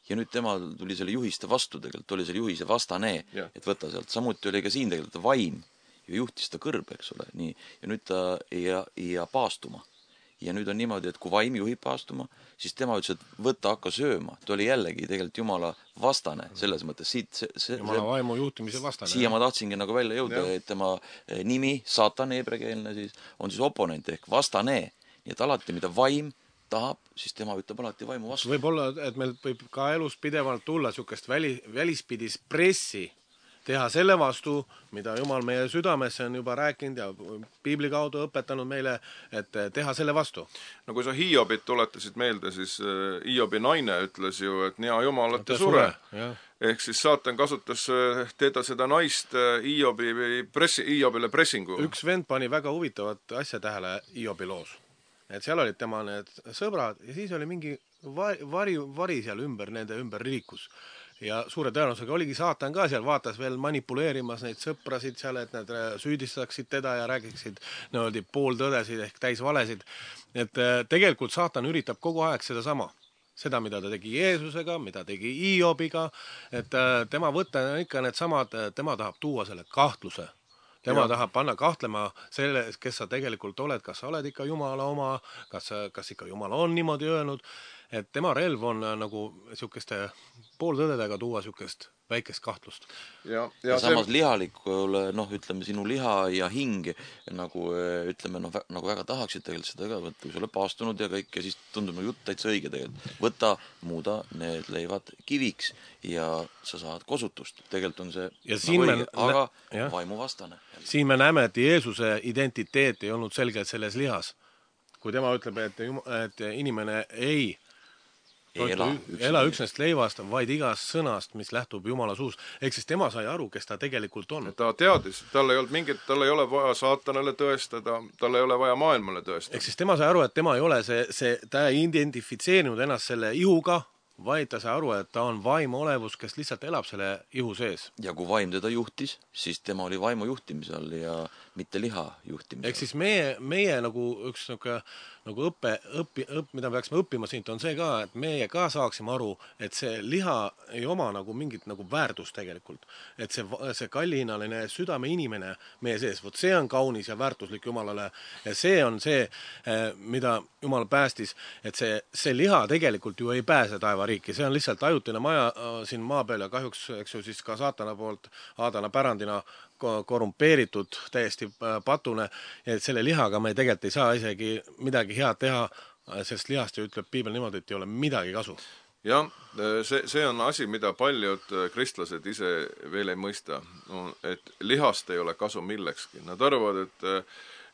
ja nüüd tema tuli selle juhiste vastu tegelikult, oli selle juhise vastane, et võta sealt. Samuti oli ka siin tegelikult vaim ja juhtis ta kõrbe, eks ole, nii. Ja nüüd ta ei paastuma. Ja nüüd on niimoodi, et kui vaim juhib paastuma, siis tema ütles, et võta, hakka sööma. Ta oli jällegi tegelikult Jumala vastane selles mõttes. Jumala vaimu juhtimise vastane. Siia ma tahtsingi nagu välja jõuda, et tema nimi, saatan heebreakeelne siis, on siis oponent ehk vastane. Nii et alati, mida vaim tahab, siis tema ütleb alati vaimu vastu. Võib-olla, et meil võib ka elus pidevalt tulla niisugust välispidis pressi teha selle vastu, mida Jumal meie südamesse on juba rääkinud ja piibli kaudu õpetanud meile, et teha selle vastu. No kui sa Hiobit tuletasid meelde, siis Hiobi naine ütles ju, et nea Jumal, et ta sure. Ehk siis saatan kasutas teda seda naist Hiobile pressingu. Üks vend pani väga huvitavat asja tähele Hiobi loos. Et seal olid tema need sõbrad ja siis oli mingi vari seal nende ümber liikus. Ja suure tõenäosusega oligi saatan ka seal, vaatas veel manipuleerimas neid sõprasid seal, et nad süüdistaksid teda ja räägiksid pooltõdesid ehk täisvalesid. Et tegelikult saatan üritab kogu aeg seda sama. Seda, mida ta tegi Jeesusega, mida tegi Hiobiga, et tema võtta on ikka need samad, tema tahab tuua selle kahtluse. Tema tahab panna kahtlema selle, kes sa tegelikult oled, kas sa oled ikka Jumala oma, kas ikka Jumal on niimoodi öelnud, et tema relv on nagu niisugeste pooltõdedega tuua niisugust väikest kahtlust. Ja samas lihalikule, ütleme, sinu liha ja hing, nagu ütleme, nagu väga tahaksid tegelikult seda ka, kui sa oled paastunud ja kõik, ja siis tundub jutt täitsa õige tegelikult. Võta, muuda need leivad kiviks ja sa saad kosutust. Tegelikult on see nagu õige, aga vaimu vastane. Siin me näeme, et Jeesuse identiteet ei olnud selgelt selles lihas. Kui tema ütleb, et inimene ei ela üksnest leivast, vaid igast sõnast, mis lähtub Jumala suus. Ehk siis tema sai aru, kes ta tegelikult on. Ta teadis, tal ei ole vaja saatanale tõestada, tal ei ole vaja maailmale tõestada. Ehk siis tema sai aru, et tema ei ole ta ei identifitseerinud ennast selle ihuga, vaid ta sai aru, et ta on vaimu olevus, kes lihtsalt elab selle ihu sees. Ja kui vaim teda juhtis, siis tema oli vaimu juhtimisel ja mitte liha juhtimisel. Ehk siis meie nagu üks nagu mida me peaksime õppima siit, on see ka, et meie ka saaksime aru, et see liha ei oma nagu mingit nagu väärtust tegelikult. Et see kallihinnaline südame inimene meie sees, vot see on kaunis ja väärtuslik Jumalale. Ja see on see, mida Jumal päästis, et see liha tegelikult ju ei pääse taevariiki. See on lihtsalt ajutine maja siin maa peal ja kahjuks, eks ju, siis ka saatana poolt Aadana pärandina korrumpeeritud, täiesti patune, et selle lihaga me tegelikult ei saa isegi midagi head teha, sest lihast ju ütleb piibel niimoodi, et ei ole midagi kasu. Jah, see on asi, mida paljud kristlased ise veel ei mõista, et lihast ei ole kasu millekski. Nad arvavad,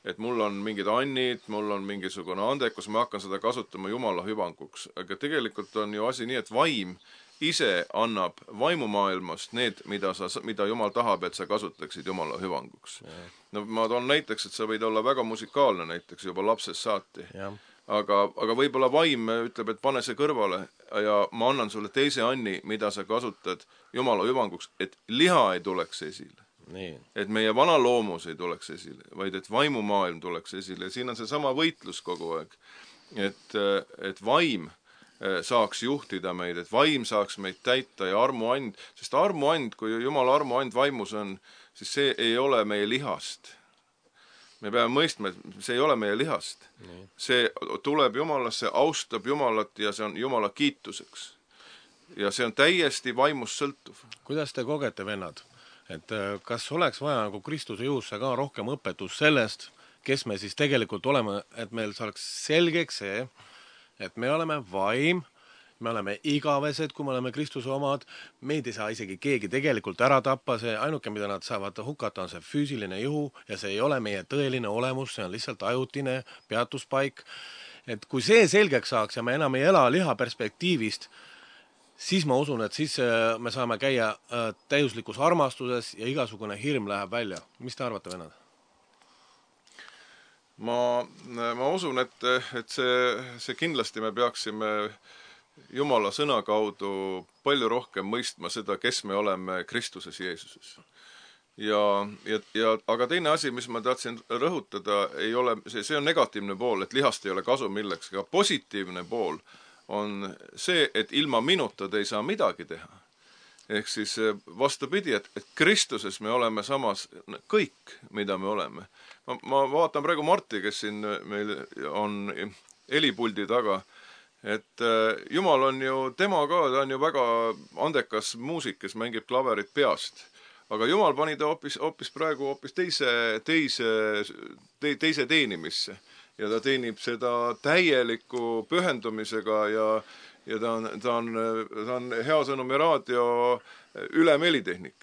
et mul on mingid annid, mul on mingisugune andekus, ma hakkan seda kasutama Jumala hüvanguks. Aga tegelikult on ju asi nii, et vaim ise annab vaimumaailmast need, mida Jumal tahab, et sa kasutaksid Jumala hüvanguks. No ma toon näiteks, et sa võid olla väga musikaalne näiteks juba lapsest saati. Aga võib-olla vaim ütleb, et pane see kõrvale ja ma annan sulle teise anni, mida sa kasutad Jumala hüvanguks, et liha ei tuleks esile. Nii. Et meie vana loomus ei tuleks esile, vaid et vaimumaailm tuleks esile. Ja siin on see sama võitlus kogu aeg. Et vaim saaks juhtida meid, et vaim saaks meid täita ja armuand, sest armuand, kui Jumala armuand vaimus on, siis see ei ole meie lihast. Me peame mõistma, et see ei ole meie lihast. Nii. See tuleb Jumalasse, austab Jumalat ja see on Jumala kiituseks. Ja see on täiesti vaimust sõltuv. Kuidas te kogete, vennad? Et kas oleks vaja nagu Kristuse jõusse ka rohkem õpetus sellest, kes me siis tegelikult oleme, et meil saaks selgeks see, et me oleme vaim me oleme igavesed, kui me oleme Kristuse omad, meid ei saa isegi keegi tegelikult ära tappa, see ainuke, mida nad saavad hukata, on see füüsiline juhu ja see ei ole meie tõeline olemus, see on lihtsalt ajutine peatuspaik. Et kui see selgeks saaks ja me enam ei ela liha perspektiivist, siis ma usun, et siis me saame käia täiuslikus armastuses ja igasugune hirm läheb välja. Mis te arvate, vennad? Ma usun, et see kindlasti me peaksime Jumala sõna kaudu palju rohkem mõistma seda, kes me oleme Kristuses Jeesuses. Aga teine asi, mis ma tahtsin rõhutada, ei ole, see on negatiivne pool, et lihast ei ole kasu millekski, aga positiivne pool on see, et ilma minuta te ei saa midagi teha. Ehk siis vastupidi, et Kristuses me oleme samas kõik, mida me oleme. Ma vaatan praegu Marti, kes siin meil on helipuldi taga, et Jumal on ju, tema ka, ta on ju väga andekas muusik, kes mängib klaverit peast. Aga Jumal pani ta hoopis praegu teise teenimisse. Ja ta teenib seda täieliku pühendumisega ja ta on Hea Sõnumi raadio ülemelitehnik.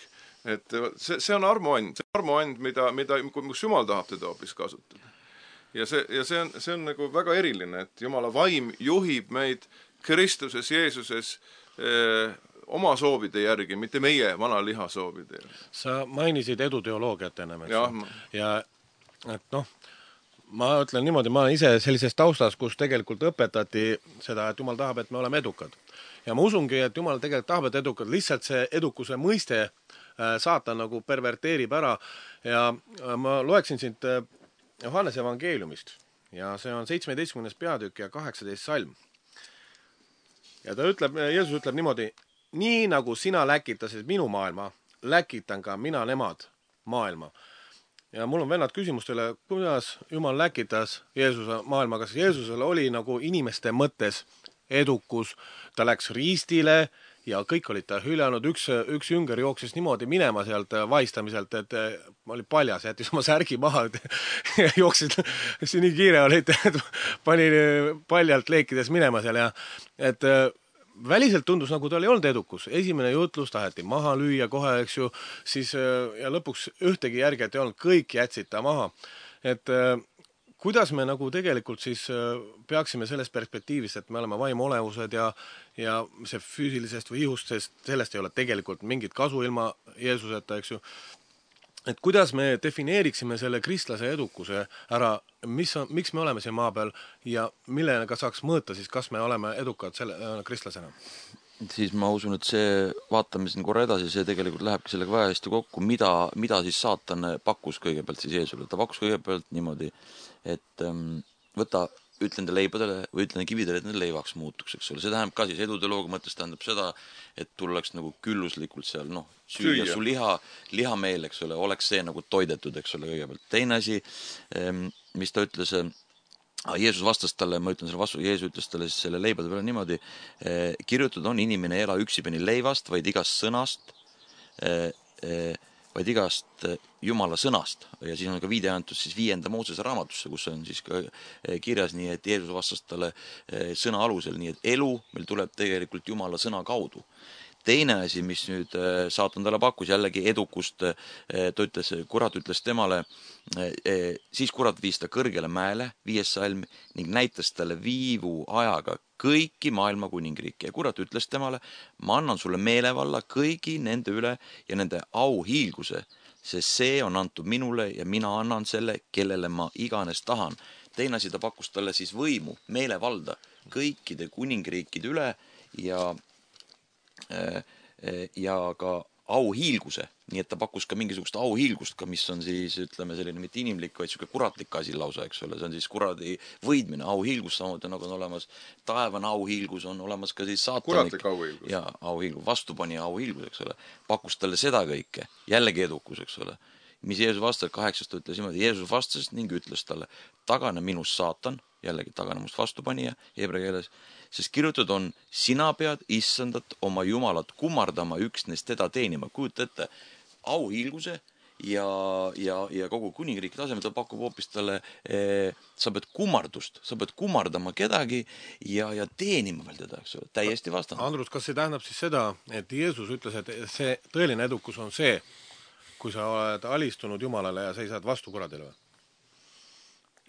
Et see on armuand, mis Jumal tahab teda hoopis kasutada. Ja see on nagu väga eriline, et Jumala vaim juhib meid Kristuses Jeesuses oma soovide järgi, mitte meie vana liha soovide järgi. Sa mainisid eduteoloogiat ennem, ja et ma ütlen niimoodi, ma olen ise sellises taustas, kus tegelikult õpetati seda, et Jumal tahab, et me oleme edukad. Ja ma usungi, et Jumal tegelikult tahab, et edukad. Lihtsalt see edukuse mõiste saatan nagu perverteerib ära. Ja ma loeksin siit Johannese evangeeliumist. Ja see on 17. peatükk ja 18. salm. Ja Jeesus ütleb niimoodi, nii nagu sina läkitasid minu maailma, läkitan ka mina nemad maailma. Ja mul on vennad küsimustele, kuidas Jumal läkitas Jeesuse maailma, kas Jeesusel oli nagu inimeste mõttes edukus, ta läks riistile ja kõik olid ta hüljanud, üks jünger jooksis niimoodi minema sealt vaistamiselt, et oli paljas, jättis oma särgi maha ja jooksid, nii kiire olid, et pani paljalt leekides minema seal ja et väliselt tundus, nagu tal ei olnud edukus. Esimene jutlus taheti maha lüüa kohe, eks ju, siis ja lõpuks ühtegi järget ei olnud, kõik jätsid ta maha. Et kuidas me nagu tegelikult siis peaksime selles perspektiivist, et me oleme vaimolevused ja see füüsilisest või ihust, sest sellest ei ole tegelikult mingit kasu ilma Jeesuseta, eks ju. Et kuidas me defineeriksime selle kristlase edukuse ära, miks me oleme siin maa peal ja millega saaks mõõta siis, kas me oleme edukad kristlasena? Siis ma usun, et see, vaatame siin korra edasi, see tegelikult lähebki sellega väga hästi kokku, mida siis saatan pakkus kõigepealt siis Jeesule. Ta pakkus kõigepealt niimoodi, et ütlen te leibadele või ütlen kividele, et need leivaks muutuks, eks ole. See tähendab ka siis eduteoloogia mõttes tähendab seda, et tullaks nagu külluslikult seal, süüa su lihameel, eks ole, oleks see nagu toidetud, eks ole, kõigepealt. Teine asi, mis ta ütles, Jeesus vastas talle, ma ütlen selle vastu, Jeesus ütles talle siis selle leibade peale niimoodi, kirjutatud on, inimene ei ela üksipeni leivast, vaid igast sõnast, vaid igast Jumala sõnast. Ja siis on ka viide antud siis 5. Moosese raamatusse, kus on siis ka kirjas nii, et Jeesus vastas talle sõna alusel, nii et elu meil tuleb tegelikult Jumala sõna kaudu. Teine asi, mis nüüd saatan talle pakkus, jällegi edukust, kurat ütles temale, siis kurat viis ta kõrgele mäele, 5. salm, ning näitas talle viivu ajaga kõiki maailma kuningriike. Ja kurat ütles temale, ma annan sulle meelevalla kõigi nende üle ja nende auhiilguse, sest see on antud minule ja mina annan selle, kellele ma iganes tahan. Teine asi, ta pakkus talle siis võimu, meelevalda kõikide kuningriikide üle ja ka auhiilguse, nii et ta pakkus ka mingisugust auhiilgust ka, mis on siis, ütleme, selline mitte inimlik, vaid siuke kuratlik asi lausa, eks ole, see on siis kuradi võidmine, auhiilgus samuti nagu on olemas, taevane auhiilgus on olemas ka siis saatanik. Kuratlik auhiilgus. Ja auhiilgus, vastupani auhiilgus, eks ole, pakkus talle seda kõike, jällegi edukus, eks ole. Mis Jeesus vastas, 8. ütles niimoodi, Jeesus vastas ning ütles talle, tagane minust saatan, jällegi tagane must vastupanija, heebrea keeles, sest kirjutatud on, sina pead issandat oma Jumalat kummardama üksnes teda teenima. Kujuta ette, auhiilguse ja kogu kuningriigi tasemel ta pakub hoopis talle, sa pead kummardust, sa pead kummardama kedagi ja teenima veel teda, eks ole, täiesti vastand. Andrus, kas see tähendab siis seda, et Jeesus ütles, et see tõeline edukus on see, kui sa oled alistunud Jumalale ja seisad vastu kuradile või?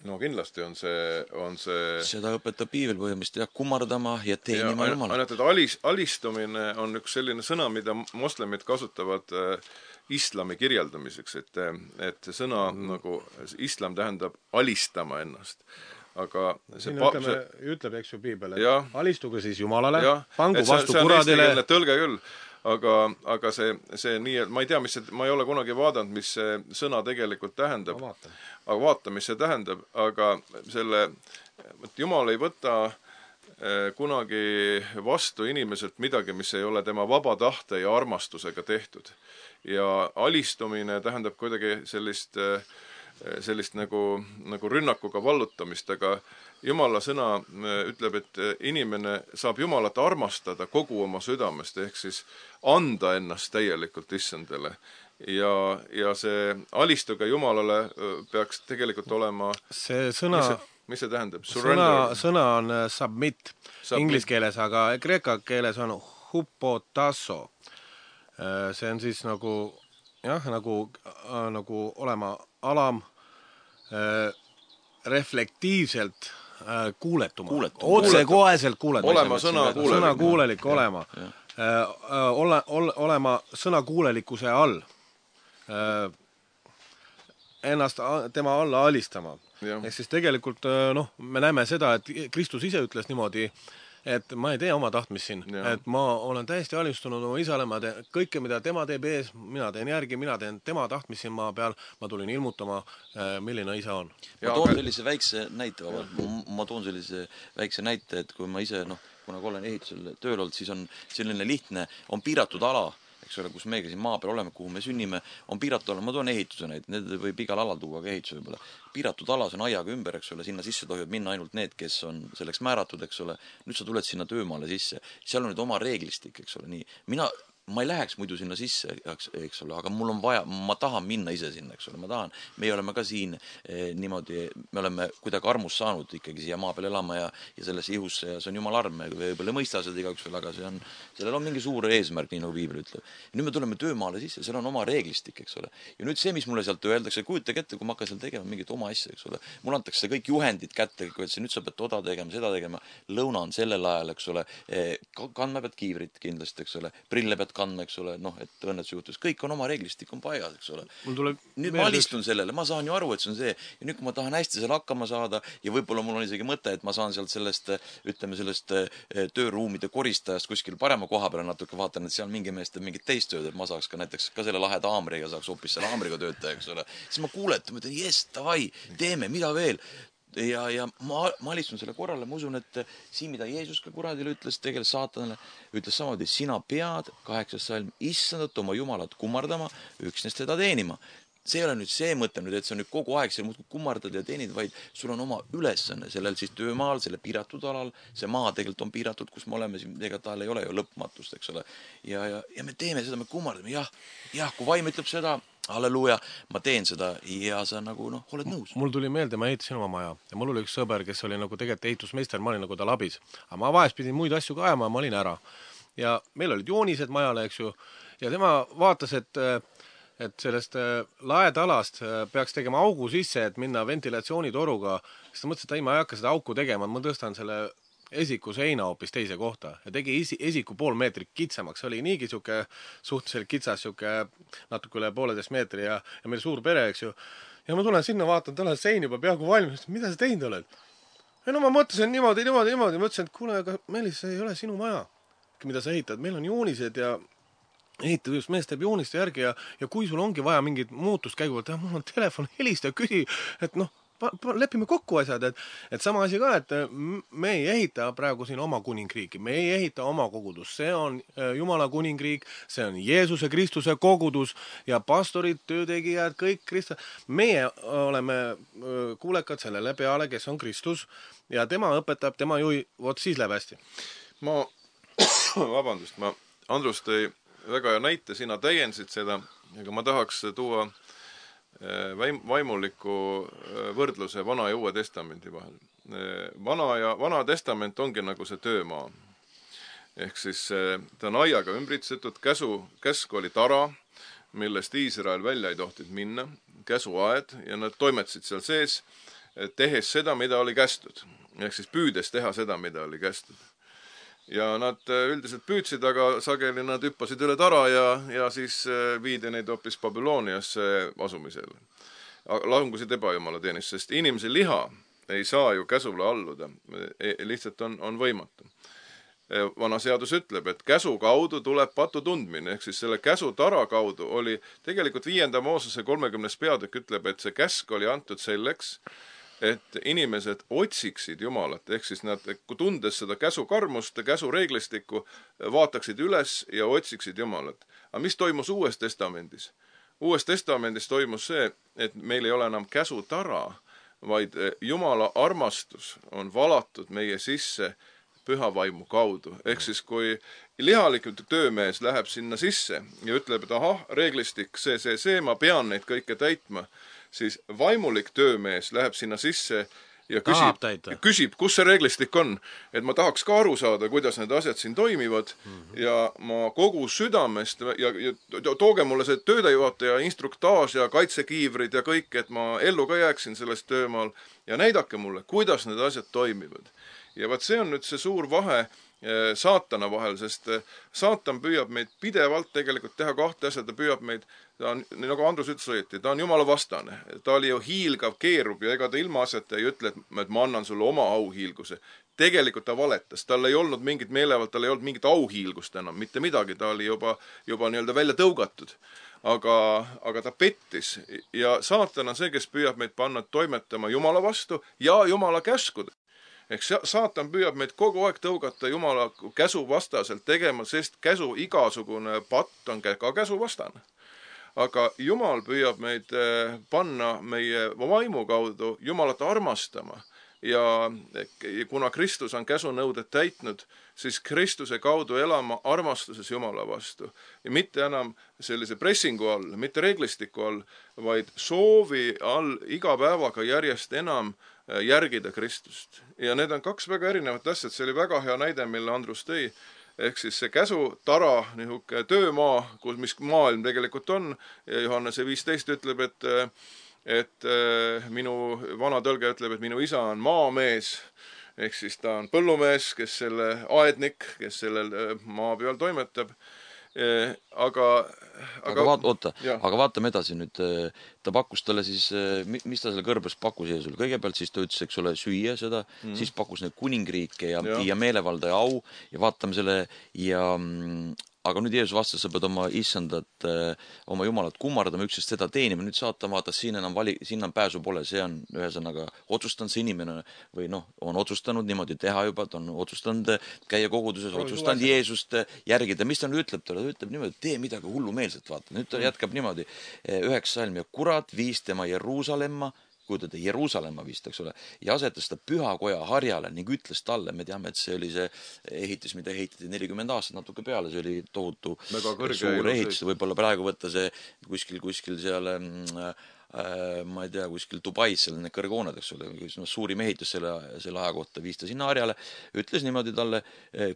No kindlasti on see seda õpetab piibel põhimõtteliselt, jah, kummardama ja teenima Jumala. Ainult, et alistumine on üks selline sõna, mida moslemid kasutavad islami kirjeldamiseks, et see sõna nagu islam tähendab alistama ennast. Aga siin ütleb, eks ju piibel, et alistuge siis Jumalale, pangu vastu see kuradile. See on tõlge küll, aga see nii, et ma ei tea, ma ei ole kunagi vaadanud, mis see sõna tegelikult tähendab. Aga vaata, mis see tähendab, aga Jumal ei võta kunagi vastu inimeselt midagi, mis ei ole tema vaba tahte ja armastusega tehtud. Ja alistumine tähendab kuidagi sellist nagu rünnakuga vallutamist, aga Jumala sõna ütleb, et inimene saab Jumalat armastada kogu oma südamest, ehk siis anda ennast täielikult issandale. Ja see alistuge Jumalale peaks tegelikult olema see sõna, mis see tähendab? Sõna on submit inglis keeles, aga kreeka keeles on hupotasso. See on siis nagu olema alam, reflektiivselt kuuletuma. Otsekoheselt kuuletuma. Olema sõnakuulelik olema. Olema sõnakuulelikkuse all. Ennast tema alla alistama. Ehk siis tegelikult me näeme seda, et Kristus ise ütles niimoodi, et ma ei tee oma tahtmist siin, et ma olen täiesti alistunud oma isale, ma teen kõike, mida tema teeb ees, mina teen järgi, mina teen tema tahtmist siin maa peal, ma tulin ilmutama, milline isa on. Ma toon sellise väikse näite, et kui ma ise, kuna olen ehitusel tööl olnud, siis on selline lihtne, on piiratud ala, eks ole, kus meiega siin maa peal oleme, kuhu me sünnime, on piiratud ala, ma toon ehituse need võib igal alal tuua ka ehituse võib-olla. Piiratud alas on aiaga ümber, eks ole, sinna sisse tohivad minna ainult need, kes on selleks määratud, eks ole. Nüüd sa tuled sinna töömaale sisse, seal on nüüd oma reeglistik, eks ole, nii. Ma ei läheks muidu sinna sisse, eks ole, aga mul on vaja, ma tahan minna ise sinna, eks ole, meie oleme ka siin niimoodi, me oleme kuidagi armus saanud ikkagi siia maa peal elama ja sellesse ihusse ja see on Jumala arm, me võib-olla ei mõista seda igaüks veel, aga sellel on mingi suur eesmärk, nii nagu piibel ütleb. Ja nüüd me tuleme töömaale sisse, seal on oma reeglistik, eks ole. Ja nüüd see, mis mulle sealt öeldakse, kujutage ette, kui ma hakkan seal tegema mingit oma asja, eks ole. Mul antakse kõik juhendid kätte, kui nüüd sa pead toda tegema, seda tegema, lõuna on sellel ajal, eks ole, kandma pead kiivrit kindlasti, eks ole, prille pead kandma, eks ole, et õnnetuse juhtus. Kõik on oma reeglistik, on paigas, eks ole. Nüüd ma alistun sellele, ma saan ju aru, et see on see. Ja nüüd, kui ma tahan hästi seal hakkama saada ja võib-olla mul on isegi mõte, et ma saan sealt sellest tööruumide koristajast kuskil parema koha peale natuke vaatan, et seal mingi mees teeb mingit teist tööd, et ma saaks ka näiteks ka selle laheda haamriga saaks hoopis selle haamriga töötaja, eks ole. Siis ma kuuletan, ma ütlen, yes, davai, teeme, mida veel? Ja ma alistun selle korrale, ma usun, et siin, mida Jeesus ka kuradile ütles, tegelikult saatanale, ütles samamoodi, sina pead 8. salm issandat oma Jumalat kummardama, üksnes teda teenima. See ei ole nüüd see mõte, et see on nüüd kogu aeg seal muudkui kummardad ja teenid, vaid sul on oma ülesanne sellel siis töömaal, selle piiratud alal, see maa tegelikult on piiratud, kus me oleme, ega tal ei ole ju lõpmatust, eks ole. Ja me teeme seda, me kummardame, jah, kui vaim ütleb seda, halleluuja, ma teen seda ja sa nagu, oled nõus. Mul tuli meelde, ma ehitasin oma maja ja mul oli üks sõber, kes oli nagu tegelikult ehitusmeister, ma olin nagu tal abis. Aga ma vahest pidin muid asju ka ajama ja ma olin ära. Ja meil olid joonised majale, eks ju, ja tema vaatas, et sellest laedalast peaks tegema augu sisse, et minna ventilatsioonitoruga. Siis ta mõtles, et ma ei hakka seda auku tegema, ma tõstan selle esiku seina hoopis teise kohta ja tegi esiku pool meetrit kitsamaks. See oli niigi suhteliselt kitsas, natuke üle 1,5 meetri ja meil suur pere, eks ju. Ja ma tulen sinna, vaatan, tal on sein juba peaaegu valmis. Mida sa teinud oled? Ja ma mõtlesin niimoodi. Mõtlesin, et kuule, aga Meelis, see ei ole sinu maja, mida sa ehitad. Meil on joonised ja ehitad just mees teeb jooniste järgi ja kui sul ongi vaja mingit muutust käiguvalt, mul on telefon, helista ja küsi, et lepime kokku asjad, et sama asi ka, et me ei ehita praegu siin oma kuningriiki, me ei ehita oma kogudus, see on Jumala kuningriik, see on Jeesuse Kristuse kogudus ja pastorid, töötegijad, kõik Kristus, meie oleme kuulekad sellele peale, kes on Kristus ja tema õpetab, tema juhi, vot siis läheb hästi. Andrus tõi väga hea näite, sina täiendasid seda, aga ma tahaks tuua vaimuliku võrdluse Vana ja Uue Testamendi vahel. Vana testament ongi nagu see töömaa. Ehk siis ta on aiaga ümbritsetud, käsk oli tara, millest Iisrael välja ei tohtinud minna, käsuaed, ja nad toimetasid seal sees, tehes seda, mida oli kästud. Ehk siis püüdes teha seda, mida oli kästud. Ja nad üldiselt püüdsid, aga sageli nad hüppasid üle tara ja siis viidi neid hoopis Babyloniasse asumisele. Langusid ebajumala teenist, sest inimese liha ei saa ju käsule alluda. Lihtsalt on võimatu. Vana seadus ütleb, et käsu kaudu tuleb patu tundmine, ehk siis selle käsu tara kaudu oli tegelikult 5. Moosese 30. peatükk ütleb, et see käsk oli antud selleks, et inimesed otsiksid Jumalat, ehk siis nad, kui tundes seda käsu karmust, käsu reeglistikku, vaataksid üles ja otsiksid Jumalat. Aga mis toimus Uues Testamendis? Uues Testamendis toimus see, et meil ei ole enam käsu tara, vaid Jumala armastus on valatud meie sisse püha vaimu kaudu. Ehk siis, kui lihalikult töömees läheb sinna sisse ja ütleb, et ahah, reeglistik, see, ma pean neid kõike täitma, siis vaimulik töömees läheb sinna sisse ja küsib, kus see reeglistik on, et ma tahaks ka aru saada, kuidas need asjad siin toimivad ja ma kogu südamest ja tooge mulle see töödejuhataja instruktaaž ja kaitsekiivrid ja kõik, et ma ellu ka jääksin sellest töömaal ja näidake mulle, kuidas need asjad toimivad. Ja vaat see on nüüd see suur vahe saatana vahel, sest saatan püüab meid pidevalt tegelikult teha kahte asja, ta püüab meid, nagu Andrus ütles õieti, ta on Jumala vastane, ta oli ju hiilgav, keerub ja ega ta ilma asjata ei ütle, et ma annan sulle oma auhiilguse. Tegelikult ta valetas, tal ei olnud mingit meelevalt, tal ei olnud mingit auhiilgust enam, mitte midagi, ta oli juba nii-öelda välja tõugatud. Aga ta pettis ja saatan on see, kes püüab meid panna toimetama Jumala vastu ja Jumala käskude. Ehk saatan püüab meid kogu aeg tõugata Jumala käsu vastaselt tegema, sest käsu igasugune patt on ka käsu vastane. Aga Jumal püüab meid panna meie vaimu kaudu Jumalat armastama. Ja kuna Kristus on käsunõuded täitnud, siis Kristuse kaudu elama armastuses Jumala vastu. Ja mitte enam sellise pressingu all, mitte reeglistiku all, vaid soovi all iga päevaga järjest enam järgida Kristust. Ja need on kaks väga erinevat asjad. See oli väga hea näide, mille Andrus tõi. Ehk siis see käsu tara, nihuke töömaa, mis maailm tegelikult on. Ja Johannese 15 ütleb, et minu vana tõlge ütleb, et minu isa on maamees. Ehk siis ta on põllumees, kes selle aednik, kes sellel maa peal toimetab. Aga vaatame edasi nüüd, ta pakkus talle siis, mis ta selle kõrbes pakkus Jeesusele? Kõigepealt siis ta ütles, eks ole, süüa seda, siis pakkus need kuningriike ja meelevalda ja au ja vaatame selle aga nüüd Jeesus vastas, sa pead oma issandat, oma Jumalat kummardama, üksest seda teenima, nüüd saatan vaatas, siin on pääsu pole, see on ühesõnaga otsustanud see inimene või on otsustanud niimoodi teha juba, ta on otsustanud käia koguduses, otsustanud Jeesust järgida, mis ta nüüd ütleb talle, ta ütleb niimoodi, tee midagi hullumeelset, vaata, nüüd ta jätkab niimoodi, 9 salm ja kurat viis tema Jeruusalemma, kujutada Jeruusalemma vist, eks ole, ja asetas ta pühakoja harjale ning ütles talle, me teame, et see oli see ehitis, mida ehitati 40 aastat natuke peale, see oli tohutu suur ehitis, võib-olla praegu võtta see kuskil seal, ma ei tea, kuskil Dubais, seal need kõrghooned, eks ole, suurim ehitus selle aja kohta, viis ta sinna harjale, ütles niimoodi talle,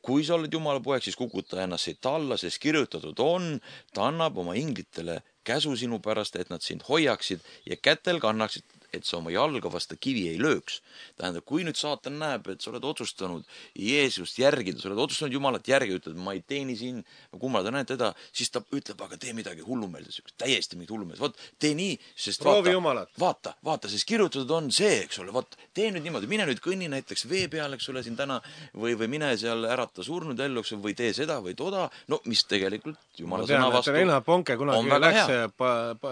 kui sa oled Jumala poeg, siis kukuta ennast siit alla, sest kirjutatud on, ta annab oma inglitele käsu sinu pärast, et nad sind hoiaksid ja kätel kannaksid, et sa oma jalga vasta kivi ei lööks. Tähendab, kui nüüd saatan näeb, et sa oled otsustanud Jeesust järgida, sa oled otsustanud Jumalat järgi, ütled, ma ei teeni siin, ma kummalda näen teda, siis ta ütleb, aga tee midagi hullumeelset, täiesti mingit hullumeelset. Vaat, tee nii, sest vaata, sest kirjutatud on see, eks ole, vaat, tee nüüd niimoodi, mine nüüd kõnni näiteks vee peal, eks ole, siin täna, või mine seal ärata surnud ellu, või tee seda või toda, mis tegelikult Jumala sõna vastu on väga hea.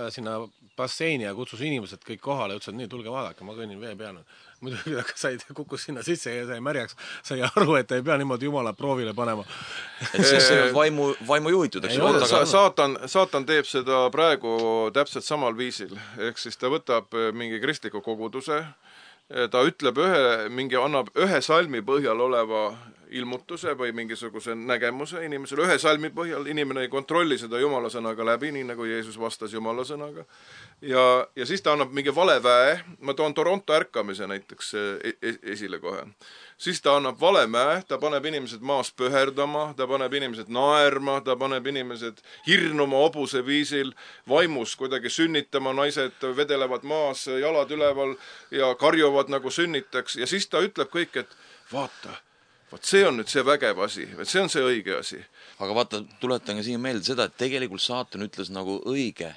Sinna basseini ja kutsus inimesed kõik kohale, ütles, et nii, tulge vaadake, ma kõnnin vee peal. Muidugi kukkus sinna sisse ja sai märjaks, sai aru, et ei pea niimoodi Jumala proovile panema. Et see on vaimu juhitud, eks? Saatan teeb seda praegu täpselt samal viisil. Ehk siis ta võtab mingi kristliku koguduse, ta ütleb annab ühe salmi põhjal oleva ilmutuse või mingisuguse nägemuse inimesele ühe salmi põhjal, inimene ei kontrolli seda Jumala sõnaga läbi, nii nagu Jeesus vastas Jumala sõnaga. Ja siis ta annab mingi valeväe, ma toon Toronto ärkamise näiteks esile kohe. Siis ta annab valemäe, ta paneb inimesed maas pöherdama, ta paneb inimesed naerma, ta paneb inimesed hirnuma hobuse viisil, vaimus kuidagi sünnitama, naised vedelevad maas, jalad üleval ja karjuvad nagu sünnitaks ja siis ta ütleb kõik, et vaata, see on nüüd see vägev asi, see on see õige asi. Aga vaata, tuletan ka siin meelde seda, et tegelikult saatan ütles nagu õige.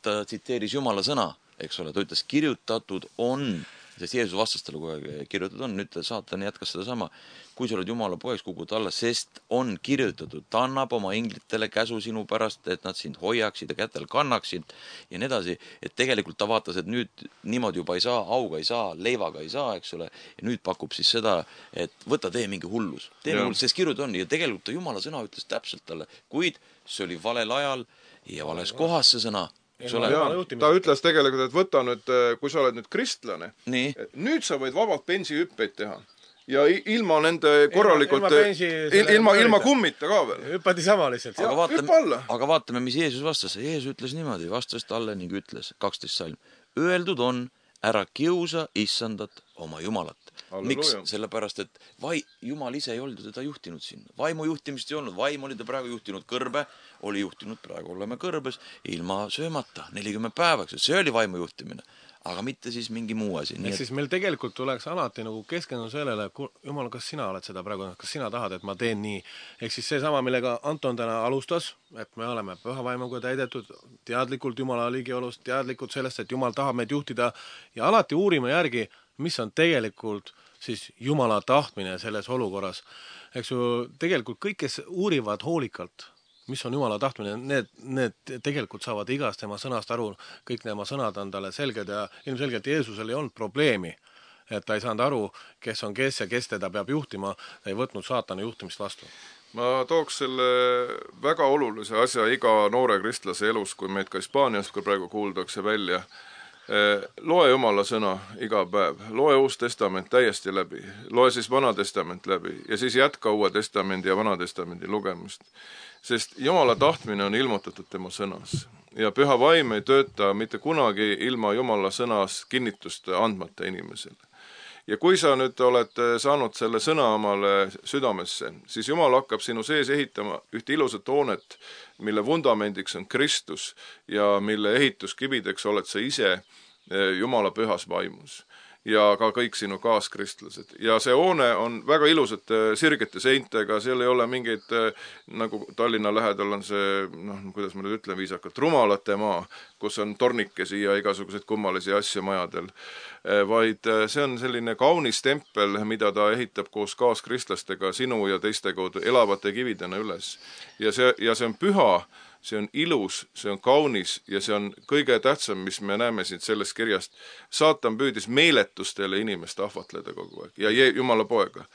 Ta tsiteeris Jumala sõna, eks ole, ta ütles kirjutatud on, sest Jeesus vastas talle kogu aeg kirjutatud on, nüüd saatan jätkas seda sama. Kui sa oled Jumala poeks, kukud alla, sest on kirjutatud, ta annab oma inglitele käsu sinu pärast, et nad sind hoiaksid ja kätel kannaksid ja nii edasi, et tegelikult ta vaatas, et nüüd niimoodi juba ei saa, auga ei saa, leivaga ei saa, eks ole, ja nüüd pakub siis seda, et võta tee mingi hullus. Tee mingi hullus, sest kirjutatud on ja tegelikult ta Jumala sõna ütles täpselt talle, kuid see oli valel ajal ja vales kohas see sõna. Ta ütles tegelikult, et võta nüüd, kui sa oled nüüd kristlane, et nüüd sa võid vabalt bensihüppeid teha. Ja ilma nende korralikult, ilma kummita ka veel. Hüppati sama lihtsalt. Aga vaatame, mis Jeesus vastas. Jeesus ütles niimoodi, vastas talle ning ütles, 12 salm. Öeldud on, ära kiusa issandat oma Jumalat. Miks? Sellepärast, et Jumal ise ei olnud teda juhtinud sinna. Vaimu juhtimist ei olnud. Vaim oli ta praegu juhtinud kõrbe, oli juhtinud praegu oleme kõrbes ilma söömata 40 päevaks. See oli vaimu juhtimine, aga mitte siis mingi muu asi. Siis meil tegelikult tuleks alati nagu keskenduda sellele, Jumal, kas sina oled seda praegu, kas sina tahad, et ma teen nii. Ehk siis see sama, millega Anton täna alustas, et me oleme püha vaimuga täidetud, teadlikult Jumala ligiolust, teadlikult sellest, et Jumal tahab meid juhtida ja alati uurime järgi, mis on tegelikult siis Jumala tahtmine selles olukorras. Eks ju, tegelikult kõik, kes uurivad hoolikalt, mis on Jumala tahtmine, need tegelikult saavad igast tema sõnast aru, kõik tema sõnad on talle selged ja ilmselgelt Jeesusel ei olnud probleemi, et ta ei saanud aru, kes on kes ja kes teda peab juhtima, ta ei võtnud saatana juhtimist vastu. Ma tooks selle väga olulise asja iga noore kristlase elus, kui meid ka Hispaaniast, kui praegu kuuldakse välja. Loe Jumala sõna iga päev, loe Uus Testament täiesti läbi, loe siis Vana Testament läbi ja siis jätka Uue Testamendi ja Vana Testamendi lugemist. Sest Jumala tahtmine on ilmutatud tema sõnas ja püha vaim ei tööta mitte kunagi ilma Jumala sõnas kinnitust andmata inimesele. Ja kui sa nüüd oled saanud selle sõna omale südamesse, siis Jumal hakkab sinu sees ehitama ühte ilusat hoonet, mille vundamendiks on Kristus ja mille ehituskibideks oled sa ise Jumala pühas vaimus ja ka kõik sinu kaaskristlased. Ja see hoone on väga ilusate sirgete seintega, seal ei ole mingeid, nagu Tallinna lähedal on see, kuidas ma nüüd ütlen viisakalt, rumalate maa, kus on tornikesi ja igasuguseid kummalisi asju majadel, vaid see on selline kaunis tempel, mida ta ehitab koos kaaskristlastega sinu ja teiste kaudu elavate kividena üles. Ja see on püha, see on ilus, see on kaunis ja see on kõige tähtsam, mis me näeme siit sellest kirjast. Saatan püüdis meeletustele inimest ahvatleda kogu aeg ja Jumala poega.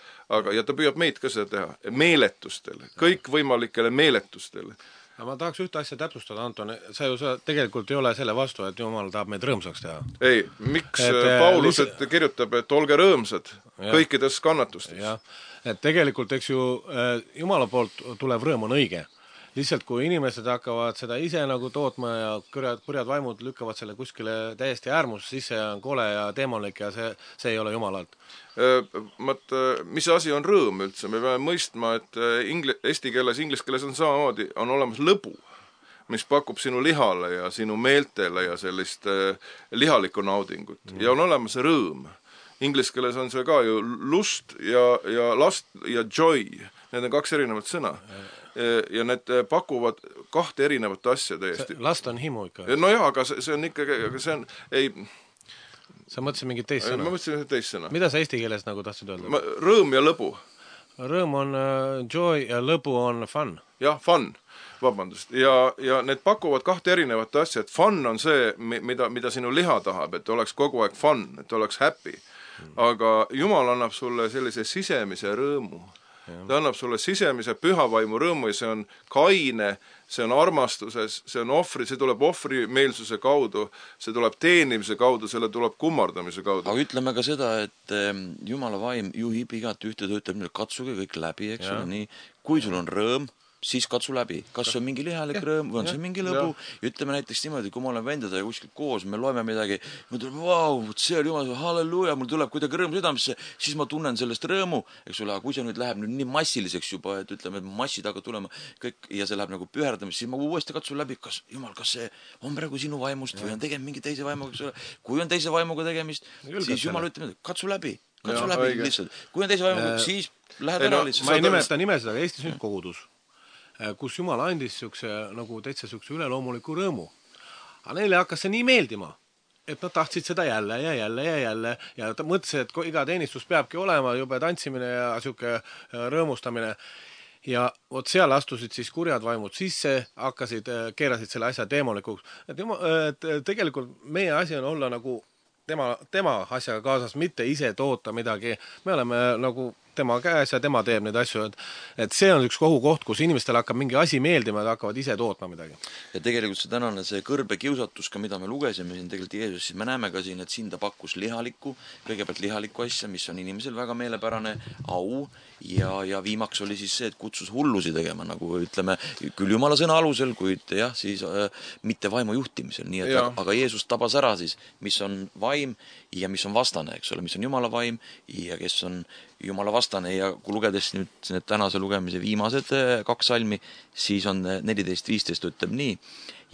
Ja ta püüab meid ka seda teha. Meeletustele, kõik võimalikele meeletustele. Ma tahaks ühte asja täpsustada, Anton. Sa ju tegelikult ei ole selle vastu, et Jumal tahab meid rõõmsaks teha. Ei, miks Paulus kirjutab, et olge rõõmsad kõikides kannatustes? Ja, et tegelikult, eks ju, Jumala poolt tulev rõõm on õige. Lihtsalt kui inimesed hakkavad seda ise nagu tootma ja kurjad vaimud lükkavad selle kuskile täiesti äärmus, siis see on kole ja teemonlik ja see ei ole Jumalalt. Mis asi on rõõm üldse? Me peame mõistma, et eesti keeles, inglise keeles on samamoodi, on olemas lõbu, mis pakub sinu lihale ja sinu meeltele ja sellist lihalikku naudingut. Ja on olemas rõõm. Inglise keeles on see ka ju lust ja last ja joy. Need on kaks erinevat sõna. Ja need pakuvad kahte erinevat asja täiesti. Last on himu ikka. No jah, aga see on ikkagi, see on, ei... Sa mõtlesid mingit teist sõna? Ma mõtlesin teist sõna. Mida sa eesti keeles nagu tahtsid öelda? Rõõm ja lõbu. Rõõm on joy ja lõbu on fun. Jah, fun, vabandust. Ja need pakuvad kahte erinevat asja, et fun on see, mida sinu liha tahab, et oleks kogu aeg fun, et oleks happy. Aga Jumal annab sulle sellise sisemise rõõmu. Ta annab sulle sisemise pühavaimu rõõmu ja see on kaine, see on armastuses, see on ohvri, see tuleb ohvrimeelsuse kaudu, see tuleb teenimise kaudu, selle tuleb kummardamise kaudu. Aga ütleme ka seda, et Jumala vaim juhib igat ühte töötab, katsuge kõik läbi, eks ole, nii. Kui sul on rõõm, siis katsu läbi. Kas see on mingi lihalik rõõm või on see mingi lõbu? Ja ütleme näiteks niimoodi, kui ma olen vendadega kuskil koos, me loeme midagi, ma tulen, vau, see oli jumal, halleluuja, mul tuleb kuidagi rõõm südamesse, siis ma tunnen sellest rõõmu, eks ole, aga kui see nüüd läheb nüüd nii massiliseks juba, et ütleme, et massid hakkavad tulema kõik ja see läheb nagu püherdamist, siis ma uuesti katsun läbi, kas jumal, kas see on praegu sinu vaimust või on tegemist mingi teise vaimuga, eks ole. Kui on teise vaimuga tegemist, siis jumal ütleb, katsu läbi lihtsalt. Kui on teise vaimuga, siis lähed ära lihtsalt. Ma ei nimeta nimesid, aga Eestis nüüd kogudus, kus Jumal andis nagu täitsa üleloomuliku rõõmu. Aga neile hakkas see nii meeldima, et nad tahtsid seda jälle ja jälle ja jälle ja ta mõtles, et iga teenistus peabki olema jube tantsimine ja siuke rõõmustamine. Ja vot seal astusid siis kurjad vaimud sisse, keerasid selle asja teemolikuks. Et tegelikult meie asi on olla nagu tema asjaga kaasas, mitte ise toota midagi. Me oleme nagu tema käes ja tema teeb neid asju, et see on üks kohukoht, kus inimestel hakkab mingi asi meeldima ja hakkavad ise tootma midagi. Ja tegelikult see tänane see kõrbe kiusatus, ka mida me lugesime siin tegelikult Jeesus, siis me näeme ka siin, et siin ta pakkus kõigepealt lihalikku asja, mis on inimesel väga meelepärane, au, ja viimaks oli siis see, et kutsus hullusi tegema, nagu ütleme, küll Jumala sõna alusel, kuid jah, siis mitte vaimu juhtimisel, nii et aga Jeesus tabas ära siis, mis on vaim ja mis on vastane, eks ole, mis on Jumala vaim ja kes on Jumala vastane ja kui lugedes nüüd need tänase lugemise viimased 2 salmi, siis on 14.15 ütleb nii.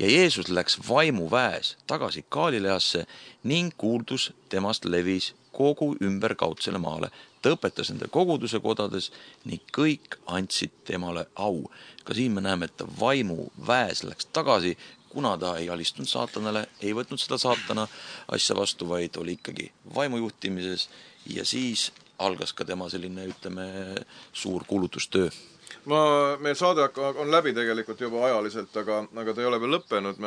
Ja Jeesus läks vaimuväes tagasi Galileasse ning kuuldus temast levis kogu ümber kaudsele maale. Ta õpetas nende koguduse kodades ning kõik andsid temale au. Ka siin me näeme, et ta vaimuväes läks tagasi, kuna ta ei alistunud saatanale, ei võtnud seda saatana asja vastu, vaid oli ikkagi vaimujuhtimises ja siis algas ka tema selline, ütleme, suur kuulutustöö. Meil saade on läbi tegelikult juba ajaliselt, aga ta ei ole veel lõppenud.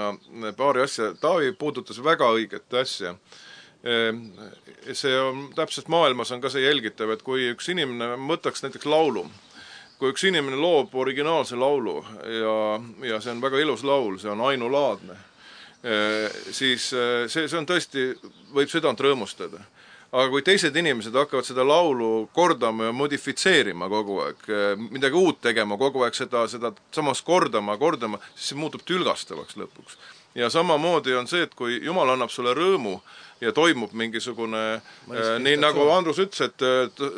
Paari asja, Taavi puudutas väga õiget asja. See on, täpselt maailmas on ka see jälgitav, et kui üks inimene võtaks näiteks laulu, kui üks inimene loob originaalse laulu ja see on väga ilus laul, see on ainulaadne, siis see on tõesti, võib südant rõõmustada. Aga kui teised inimesed hakkavad seda laulu kordama ja modifitseerima kogu aeg, midagi uut tegema, kogu aeg seda samas kordama, siis see muutub tülgastavaks lõpuks. Ja samamoodi on see, et kui Jumal annab sulle rõõmu ja toimub mingisugune, nii nagu Andrus ütles, et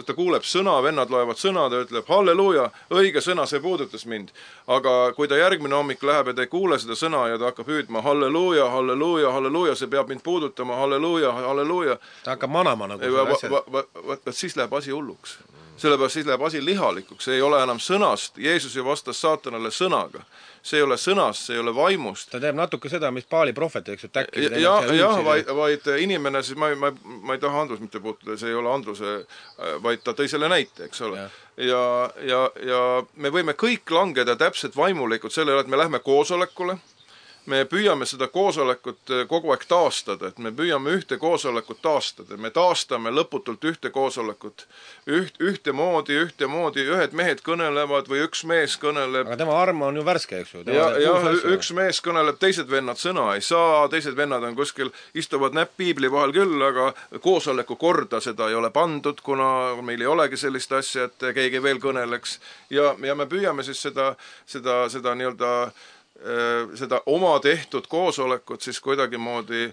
ta kuuleb sõna, vennad loevad sõna, ta ütleb halleluuja, õige sõna, see puudutas mind. Aga kui ta järgmine hommik läheb ja ta ei kuule seda sõna ja ta hakkab hüüdma halleluuja, halleluuja, halleluuja, see peab mind puudutama, halleluuja, halleluuja. Ta hakkab manama nagu selle asja. Siis läheb asi hulluks. Sellepärast siis läheb asi lihalikuks, see ei ole enam sõnast, Jeesus ju vastas saatanale sõnaga. See ei ole sõnast, see ei ole vaimust. Ta teeb natuke seda, mis Paali prohvet, eks ju, täkki. Vaid inimene, siis ma ei taha Andrus mitte puutuda, see ei ole Andruse, vaid ta tõi selle näite, eks ole. Ja me võime kõik langeda täpselt vaimulikult selle, et me lähme koosolekule, me püüame seda koosolekut kogu aeg taastada, et me püüame ühte koosolekut taastada, me taastame lõputult ühte koosolekut, ühtemoodi, ühed mehed kõnelevad või üks mees kõneleb. Aga tema arm on ju värske, eks ju. Üks mees kõneleb, teised vennad sõna ei saa, teised vennad on kuskil, istuvad näpp piibli vahel küll, aga koosoleku korda seda ei ole pandud, kuna meil ei olegi sellist asja, et keegi veel kõneleks. Ja me püüame siis seda nii-öelda seda oma tehtud koosolekut siis kuidagimoodi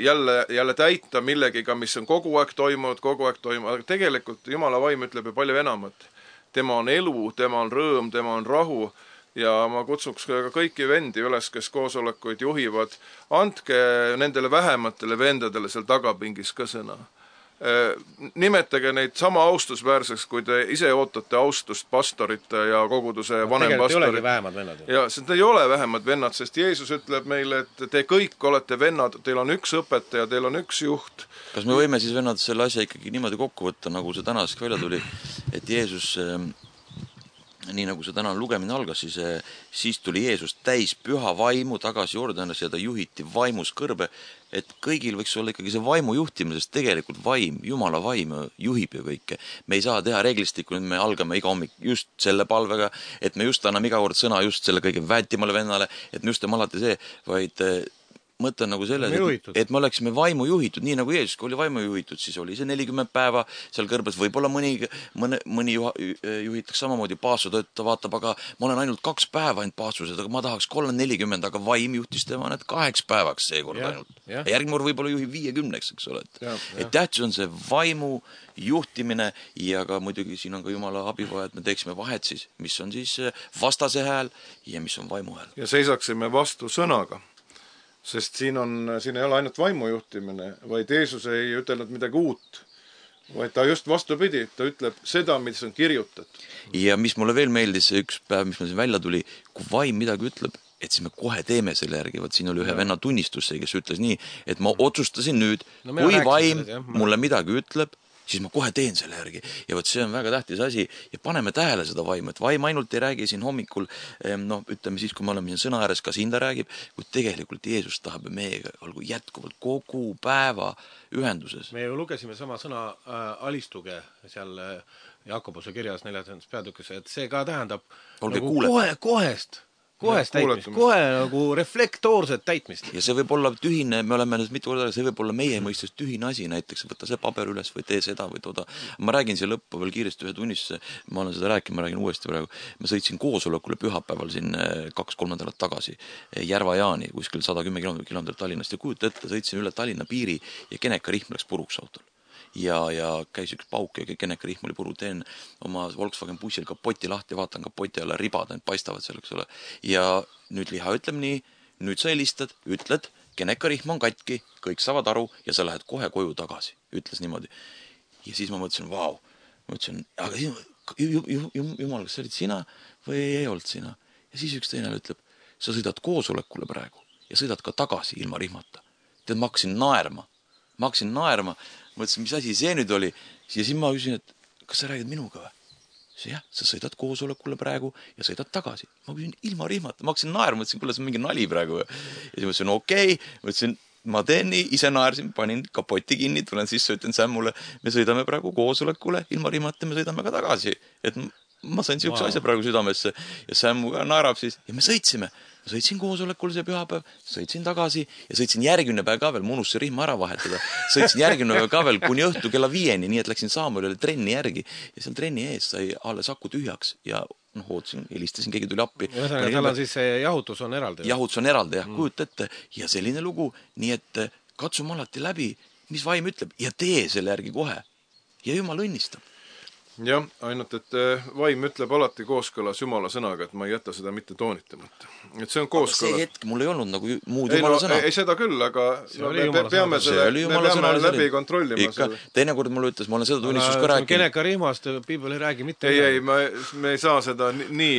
jälle täita millegiga, mis on kogu aeg toimunud, aga tegelikult Jumala vaim ütleb ju palju enamat. Tema on elu, tema on rõõm, tema on rahu ja ma kutsuks ka kõiki vendi üles, kes koosolekuid juhivad, andke nendele vähematele vendadele seal tagapingis ka sõna. Nimetage neid sama austusväärseks, kui te ise ootate austust pastorite ja koguduse vanempastori. Tegelikult ei olegi vähemad vennad. Ja seda ei ole vähemad vennad, sest Jeesus ütleb meile, et te kõik olete vennad, teil on üks õpetaja, teil on üks juht. Kas me võime siis vennad selle asja ikkagi niimoodi kokku võtta, nagu see tänask välja tuli, et Jeesus nii nagu see tänane lugemine algas, siis tuli Jeesus täis püha vaimu tagasi Jordanas ja ta juhiti vaimus kõrbe, et kõigil võiks olla ikkagi see vaimu juhtimine, sest tegelikult vaim, Jumala vaim juhib ju kõike. Me ei saa teha reeglistikku, et me algame iga hommik just selle palvega, et me just anname iga kord sõna just selle kõige väetimale vennale, et me just teeme alati see, vaid mõte on nagu selles, et me oleksime vaimu juhitud, nii nagu Jeesus oli vaimu juhitud, siis oli see 40 päeva seal kõrbes, võib-olla mõni juhitakse samamoodi paastu, ta vaatab, aga ma olen ainult 2 päeva ainult paastused, aga ma tahaks 3-40, aga vaim juhtis tema need 8 päevaks seekord ainult. Ja järgmine kord võib-olla juhib 50, eks ole. Et tähtis on see vaimu juhtimine ja ka muidugi siin on ka Jumala abi vaja, et me teeksime vahet siis, mis on siis vastase hääl ja mis on vaimu hääl. Ja seisaksime vastu sõnaga. Sest siin ei ole ainult vaimu juhtimine, vaid Jeesus ei ütelnud midagi uut, vaid ta just vastupidi, ta ütleb seda, mis on kirjutatud. Ja mis mulle veel meeldis, üks päev, mis meil siin välja tuli, kui vaim midagi ütleb, et siis me kohe teeme selle järgi, vaat siin oli ühe venna tunnistus, kes ütles nii, et ma otsustasin nüüd, kui vaim mulle midagi ütleb, siis ma kohe teen selle järgi. Ja võt see on väga tähtis asi ja paneme tähele seda vaimu, et vaim ainult ei räägi siin hommikul, ütleme siis, kui me oleme siin sõna ääres, ka siin ta räägib, kui tegelikult Jeesus tahab meiega olgu jätkuvalt kogu päeva ühenduses. Me ju lugesime sama sõna alistuge seal Jakobuse kirjas 4. peatükis, et see ka tähendab nagu kohest täitmist, kohe nagu reflektoorset täitmist. Ja see võib olla tühine, me oleme mitu korda, see võib olla meie mõistes tühine asi, näiteks võtta see paber üles või tee seda või tooda. Ma räägin siia lõppu veel kiiresti ühe tunnistuse, ma olen seda rääkinud, ma räägin uuesti praegu. Ma sõitsin koosolekule pühapäeval siin 2-3 nädalat tagasi Järva-Jaani, kuskil 110 kilomeetrit Tallinnast ja kujuta ette, sõitsin üle Tallinna piiri ja Geneka-rihm läks puruks autol. Ja käis üks pauk ja Geneka-rihm oli puru, teen oma Volkswagen bussil kapoti lahti, vaatan kapoti alla, ribad paistavad seal, eks ole. Ja nüüd Liha ütleb nii, nüüd sa helistad, ütled, Geneka-rihm on katki, kõik saavad aru ja sa lähed kohe koju tagasi, ütles niimoodi. Ja siis ma mõtlesin, vau, aga jumal, kas see olid sina või ei olnud sina? Ja siis üks teine ütleb, sa sõidad koosolekule praegu ja sõidad ka tagasi ilma rihmata. Tead, ma hakkasin naerma, mõtlesin, mis asi see nüüd oli. Ja siis ma küsin, et kas sa räägid minuga või? Jah, sa sõidad koosolekule praegu ja sõidad tagasi. Ma küsin ilma rihmata, ma hakkasin naerma, mõtlesin, kuule, see on mingi nali praegu. Ja siis mõtlesin, okei, mõtlesin, ma teen nii, ise naersin, panin kapoti kinni, tulen sisse, ütlen Sämmule, me sõidame praegu koosolekule, ilma rihmata me sõidame ka tagasi. Et ma sain siukse asja praegu südamesse ja Sämmu ka naerab siis ja me sõitsime. Sõitsin koosolekul see pühapäev, sõitsin tagasi ja sõitsin järgmine päev ka veel, munus see rihma ära vahetada. Sõitsin järgmine päev ka veel kuni õhtu kella 5, nii et läksin Saamuelile trenni järgi ja seal trenni ees sai alles aku tühjaks ja ootasin, helistasin, keegi tuli appi. Tal on siis see jahutus on eraldi. Jahutus on eraldi, jah, kujuta ette. Ja selline lugu, nii et katsume alati läbi, mis vaim ütleb ja tee selle järgi kohe. Ja Jumal õnnistab. Jah, ainult, et vaim ütleb alati kooskõlas Jumala sõnaga, et ma ei jäta seda mitte toonitamata. Et see on kooskõlas. See hetk mul ei olnud nagu muud Jumala sõna. Ei seda küll, aga me peame läbi kontrollima. Teinekord mulle ütles, ma olen seda tunnistus ka rääkinud. Geneka-rihmast Piibel ei räägi mitte. Ei, me ei saa seda nii...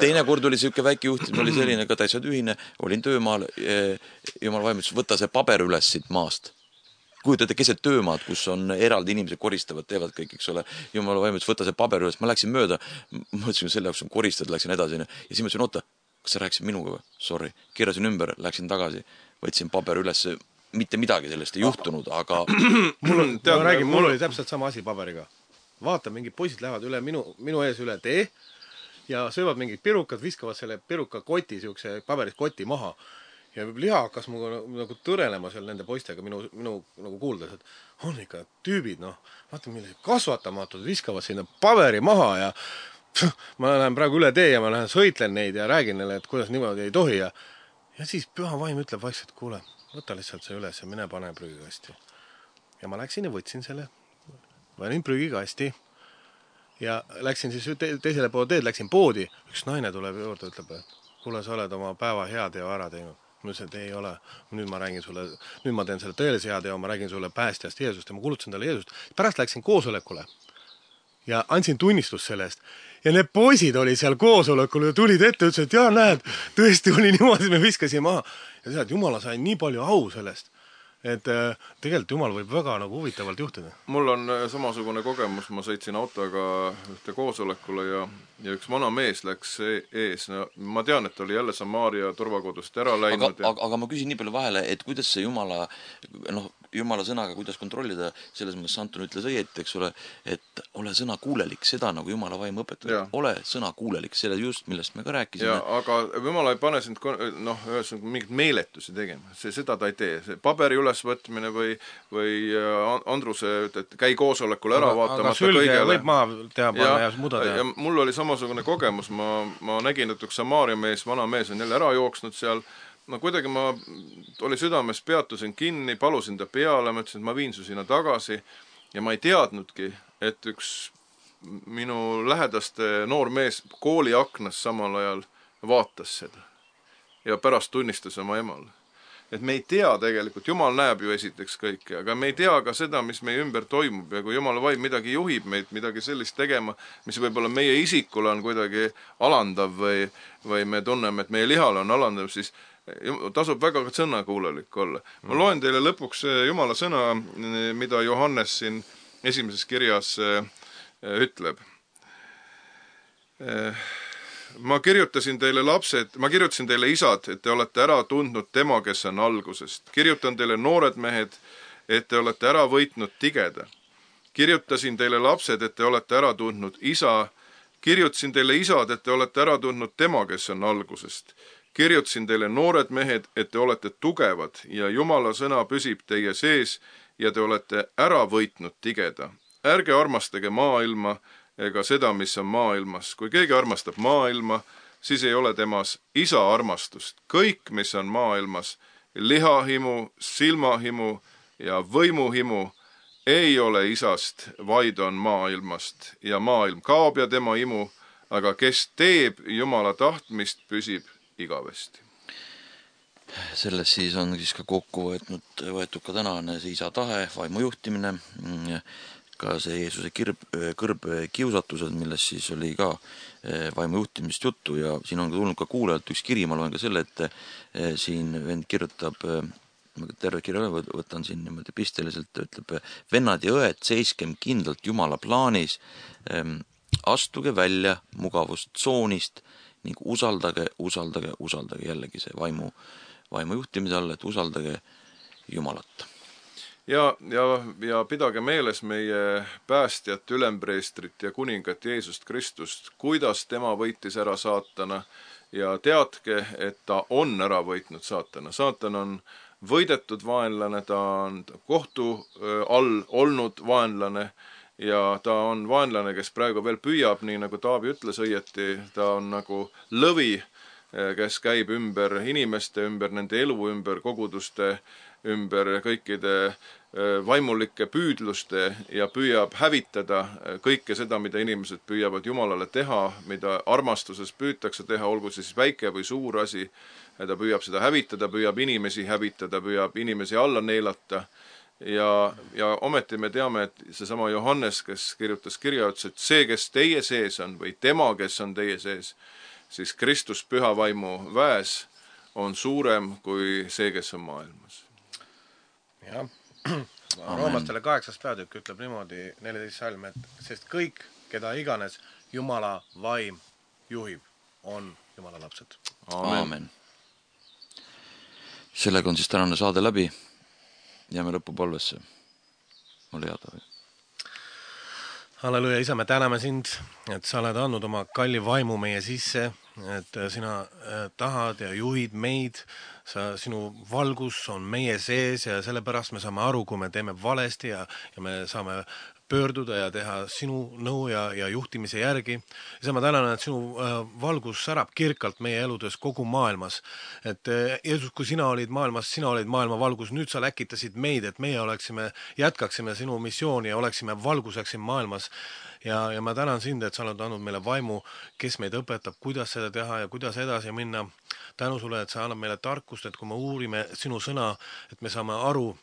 Teinekord oli siuke väike juhtim, oli selline ka täitsa tühine, olin töömaal, Jumal vaim ütles, võta see paber üles siit maast. Kujutate keset töömaad, kus on eraldi inimesed koristavad, teevad kõik, eks ole. Jumala vaim ütles, võta see paber üles. Ma läksin mööda, mõtlesin, selle jaoks on koristada, läksin edasi. Ja siis mõtlesin, oota, kas sa rääkisid minuga või? Sorry. Keerasin ümber, läksin tagasi, võtsin paber üles. Mitte midagi sellest ei juhtunud, aga... Mul oli täpselt sama asi paberiga. Vaata, mingid poisid lähevad üle minu ees üle tee ja söövad mingid pirukad, viskavad selle piruka koti, siukse paberist koti maha. Ja Liha hakkas muga nagu tõrelema seal nende poistega minu nagu kuuldes, et on ikka tüübid, vaata millised kasvatamatud, viskavad sinna paberi maha ja ma lähen praegu üle tee ja ma lähen sõitlen neid ja räägin neile, et kuidas niimoodi ei tohi ja siis püha vaim ütleb vaikselt, kuule, võta lihtsalt see üles ja mine pane prügikasti. Ja ma läksin ja võtsin selle, panin prügikasti ja läksin siis teisele poole teed, läksin poodi, üks naine tuleb juurde, ütleb, et kuule, sa oled oma päeva hea teo ära teinud. Ma ütlesin, et ei ole, nüüd ma teen selle tõelise hea teo, ma räägin sulle päästjast Jeesust ja ma kuulutasin talle Jeesust. Pärast läksin koosolekule ja andsin tunnistust sellest. Ja need poisid oli seal koosolekul ja tulid ette, ütlesid, et jaa, näed, tõesti oli niimoodi, me viskasime maha. Ja tead, Jumala sai nii palju au sellest. et tegelikult Jumal võib väga nagu huvitavalt juhtida. Mul on samasugune kogemus, ma sõitsin autoga ühte koosolekule ja üks vana mees läks ees. No, ma tean, et oli jälle Samaaria turvakodust ära läinud. Aga ma küsin nii palju vahele, et kuidas see Jumala sõnaga, kuidas kontrollida, selles mõttes Anton ütles õieti, eks ole, et ole sõna kuulelik, seda nagu Jumala vaim õpetab. Ole sõna kuulelik, selle just, millest me ka rääkisime. Aga Jumala ei pane sind mingit meeletusi tegema. Seda ta ei tee. See paberi ülesvõtmine või Andruse, et käi koosolekul ära vaatamata sülge kõigele. Võib maa teha panna ja muda teha. Ja mul oli samasugune kogemus. Ma nägin, et üks Samaaria mees, vana mees on jälle ära jooksnud seal. No kuidagi ma oli südames, peatusin kinni, palusin ta peale, ma ütlesin, et ma viin su sinna tagasi ja ma ei teadnudki, et üks minu lähedaste noor mees kooli aknas samal ajal vaatas seda ja pärast tunnistas oma emale. Et me ei tea tegelikult, Jumal näeb ju esiteks kõike, aga me ei tea ka seda, mis meie ümber toimub ja kui Jumala vaim midagi juhib meid, midagi sellist tegema, mis võib-olla meie isikule on kuidagi alandav või me tunneme, et meie lihale on alandav, siis tasub väga sõnakuulelik olla. Ma loen teile lõpuks Jumala sõna, mida Johannes siin esimeses kirjas ütleb. Ma kirjutasin teile isad, et te olete ära tundnud tema, kes on algusest. Kirjutan teile noored mehed, et te olete ära võitnud tigeda. Kirjutasin teile lapsed, et te olete ära tundnud isa. Kirjutasin teile isad, et te olete ära tundnud tema, kes on algusest. Kirjutasin teile noored mehed, et te olete tugevad ja Jumala sõna püsib teie sees ja te olete ära võitnud tigeda. Ärge armastage maailma ega seda, mis on maailmas. Kui keegi armastab maailma, siis ei ole temas isa armastust. Kõik, mis on maailmas, lihahimu, silmahimu ja võimuhimu, ei ole isast, vaid on maailmast. Ja maailm kaob ja tema imu, aga kes teeb Jumala tahtmist, püsib igavesti. Selles siis on siis ka kokku võetud ka tänane see isa tahe, vaimu juhtimine, ka see Jeesuse kõrbkiusatused, milles siis oli ka vaimu juhtimist juttu ja siin on tulnud ka kuulajalt üks kiri, ma loen ka selle, et siin vend kirjutab, terve kirja võtan siin niimoodi pisteliselt, ütleb, vennad ja õed, seiskem kindlalt Jumala plaanis, astuge välja mugavustsoonist ning usaldage jällegi see vaimu juhtimise all, et usaldage Jumalat. Ja pidage meeles meie päästjat, ülempreestrit ja kuningat Jeesust Kristust, kuidas tema võitis ära saatana ja teadke, et ta on ära võitnud saatana. Saatan on võidetud vaenlane, ta on kohtu all olnud vaenlane ja ta on vaenlane, kes praegu veel püüab, nii nagu Taavi ütles õieti, ta on nagu lõvi, kes käib ümber inimeste, ümber nende elu, ümber koguduste, ümber kõikide vaimulike püüdluste ja püüab hävitada kõike seda, mida inimesed püüavad Jumalale teha, mida armastuses püütakse teha, olgu siis väike või suur asi. Ta püüab seda hävitada, püüab inimesi hävitada, püüab inimesi alla neelata. Ja ometi me teame, et seesama Johannes, kes kirjutas kirja, ütles, et see, kes teie sees on või tema, kes on teie sees, siis Kristus püha vaimu väes on suurem kui see, kes on maailmas. Jah. Roomastele 8. peatükk ütleb niimoodi 14 salm, et sest kõik, keda iganes Jumala vaim juhib, on Jumala lapsed. Aamen. Sellega on siis tänane saade läbi. Jääme lõpupalvesse. Ole hea, Taavi. Halleluja, isa, me täname sind, et sa oled andnud oma kalli vaimu meie sisse, et sina tahad ja juhid meid, sinu valgus on meie sees ja sellepärast me saame aru, kui me teeme valesti ja me saame pöörduda ja teha sinu nõu ja juhtimise järgi. Ja ma tänan, et sinu valgus särab kirkalt meie eludes kogu maailmas. Et Jeesus, kui sina olid maailmas, sina olid maailma valgus, nüüd sa läkitasid meid, et meie jätkaksime sinu missiooni ja oleksime valguseks siin maailmas. Ja ma tänan sind, et sa oled andnud meile vaimu, kes meid õpetab, kuidas seda teha ja kuidas edasi minna. Tänu sulle, et sa annab meile tarkust, et kui me uurime sinu sõna, et me saame aru,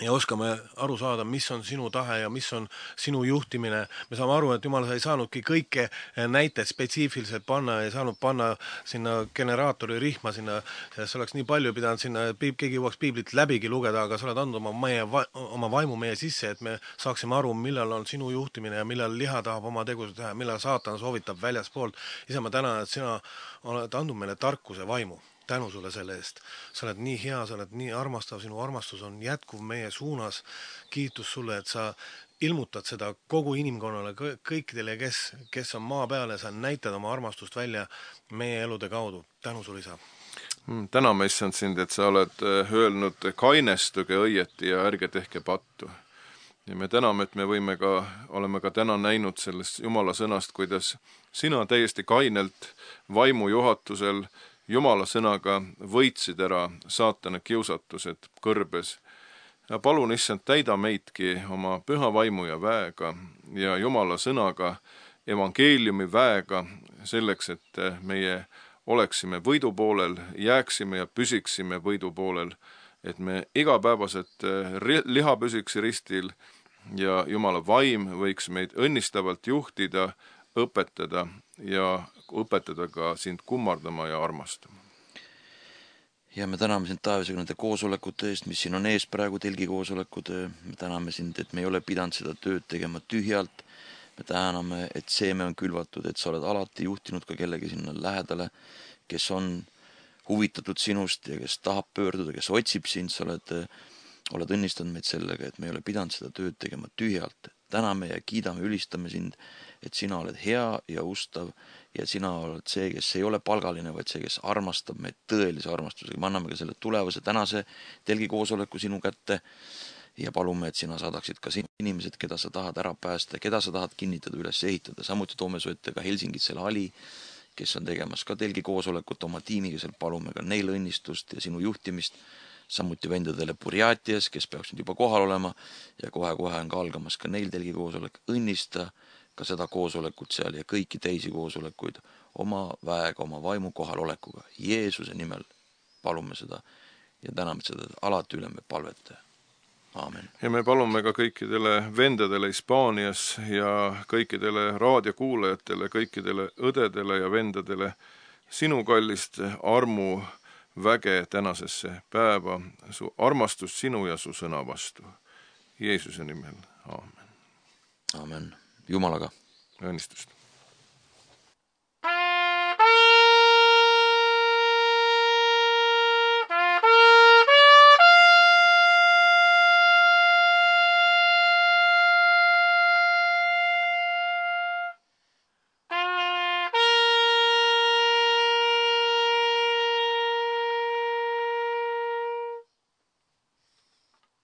ja oskame aru saada, mis on sinu tahe ja mis on sinu juhtimine. Me saame aru, et Jumal, sa ei saanudki kõike näiteid spetsiifiliselt panna, ei saanud panna sinna generaatori rihma, sinna, see oleks nii palju pidanud sinna, keegi jõuaks piiblit läbigi lugeda, aga sa oled andnud oma vaimu meie sisse, et me saaksime aru, millal on sinu juhtimine ja millal liha tahab oma tegusid teha, millal saatan soovitab väljaspoolt. Isa, ma tänan, et sina oled andnud meile tarkuse vaimu. Tänu sulle selle eest. Sa oled nii hea, sa oled nii armastav, sinu armastus on jätkuv meie suunas. Kiitus sulle, et sa ilmutad seda kogu inimkonnale, kõikidele, kes on maa peal ja sa näitad oma armastust välja meie elude kaudu. Tänu sulle, isa. Täname, issand sind, et sa oled öelnud, kainestuge õieti ja ärge tehke pattu. Ja me täname, et me oleme ka täna näinud sellest Jumala sõnast, kuidas sina täiesti kainelt vaimu juhatusel Jumala sõnaga võitsid ära saatana kiusatused kõrbes. Ja palun, issand, täida meidki oma püha vaimu ja väega ja Jumala sõnaga, evangeeliumi väega, selleks, et meie oleksime võidu poolel, jääksime ja püsiksime võidu poolel, et me igapäevaselt liha püsiks ristil ja Jumala vaim võiks meid õnnistavalt juhtida, õpetada ja õpetada ka sind kummardama ja armastama. Ja me täname sind, Taevise, nende koosolekute eest, mis siin on ees praegu, telgikoosolekud. Me täname sind, et me ei ole pidanud seda tööd tegema tühjalt. Me täname, et seeme on külvatud, et sa oled alati juhtinud ka kellegi sinna lähedale, kes on huvitatud sinust ja kes tahab pöörduda, kes otsib sind. Sa oled õnnistanud meid sellega, et me ei ole pidanud seda tööd tegema tühjalt. Täname ja kiidame, ülistame sind, et sina oled hea ja ustav ja sina oled see, kes ei ole palgaline, vaid see, kes armastab meid tõelise armastusega. Me anname ka selle tulevase tänase telgikoosoleku sinu kätte ja palume, et sina saadaksid ka sinu inimesed, keda sa tahad ära päästa, keda sa tahad kinnitada, üles ehitada. Samuti toome su ette ka Helsingis selle Ali, kes on tegemas ka telgikoosolekut oma tiimiga, seal palume ka neil õnnistust ja sinu juhtimist. Samuti vendadele Burjatias, kes peaks nüüd juba kohal olema ja kohe-kohe on ka algamas ka neil telgikoosolek. Õnnista ka seda koosolekut seal ja kõiki teisi koosolekuid oma väega, oma vaimu kohalolekuga. Jeesuse nimel palume seda ja täname seda alati üle me palvete. Aamen. Ja me palume ka kõikidele vendadele Hispaanias ja kõikidele raadiokuulajatele, kõikidele õdedele ja vendadele sinu kallist armu väge tänasesse päeva, su armastust sinu ja su sõna vastu. Jeesuse nimel. Aamen. Aamen. Jumalaga. Õnnistust.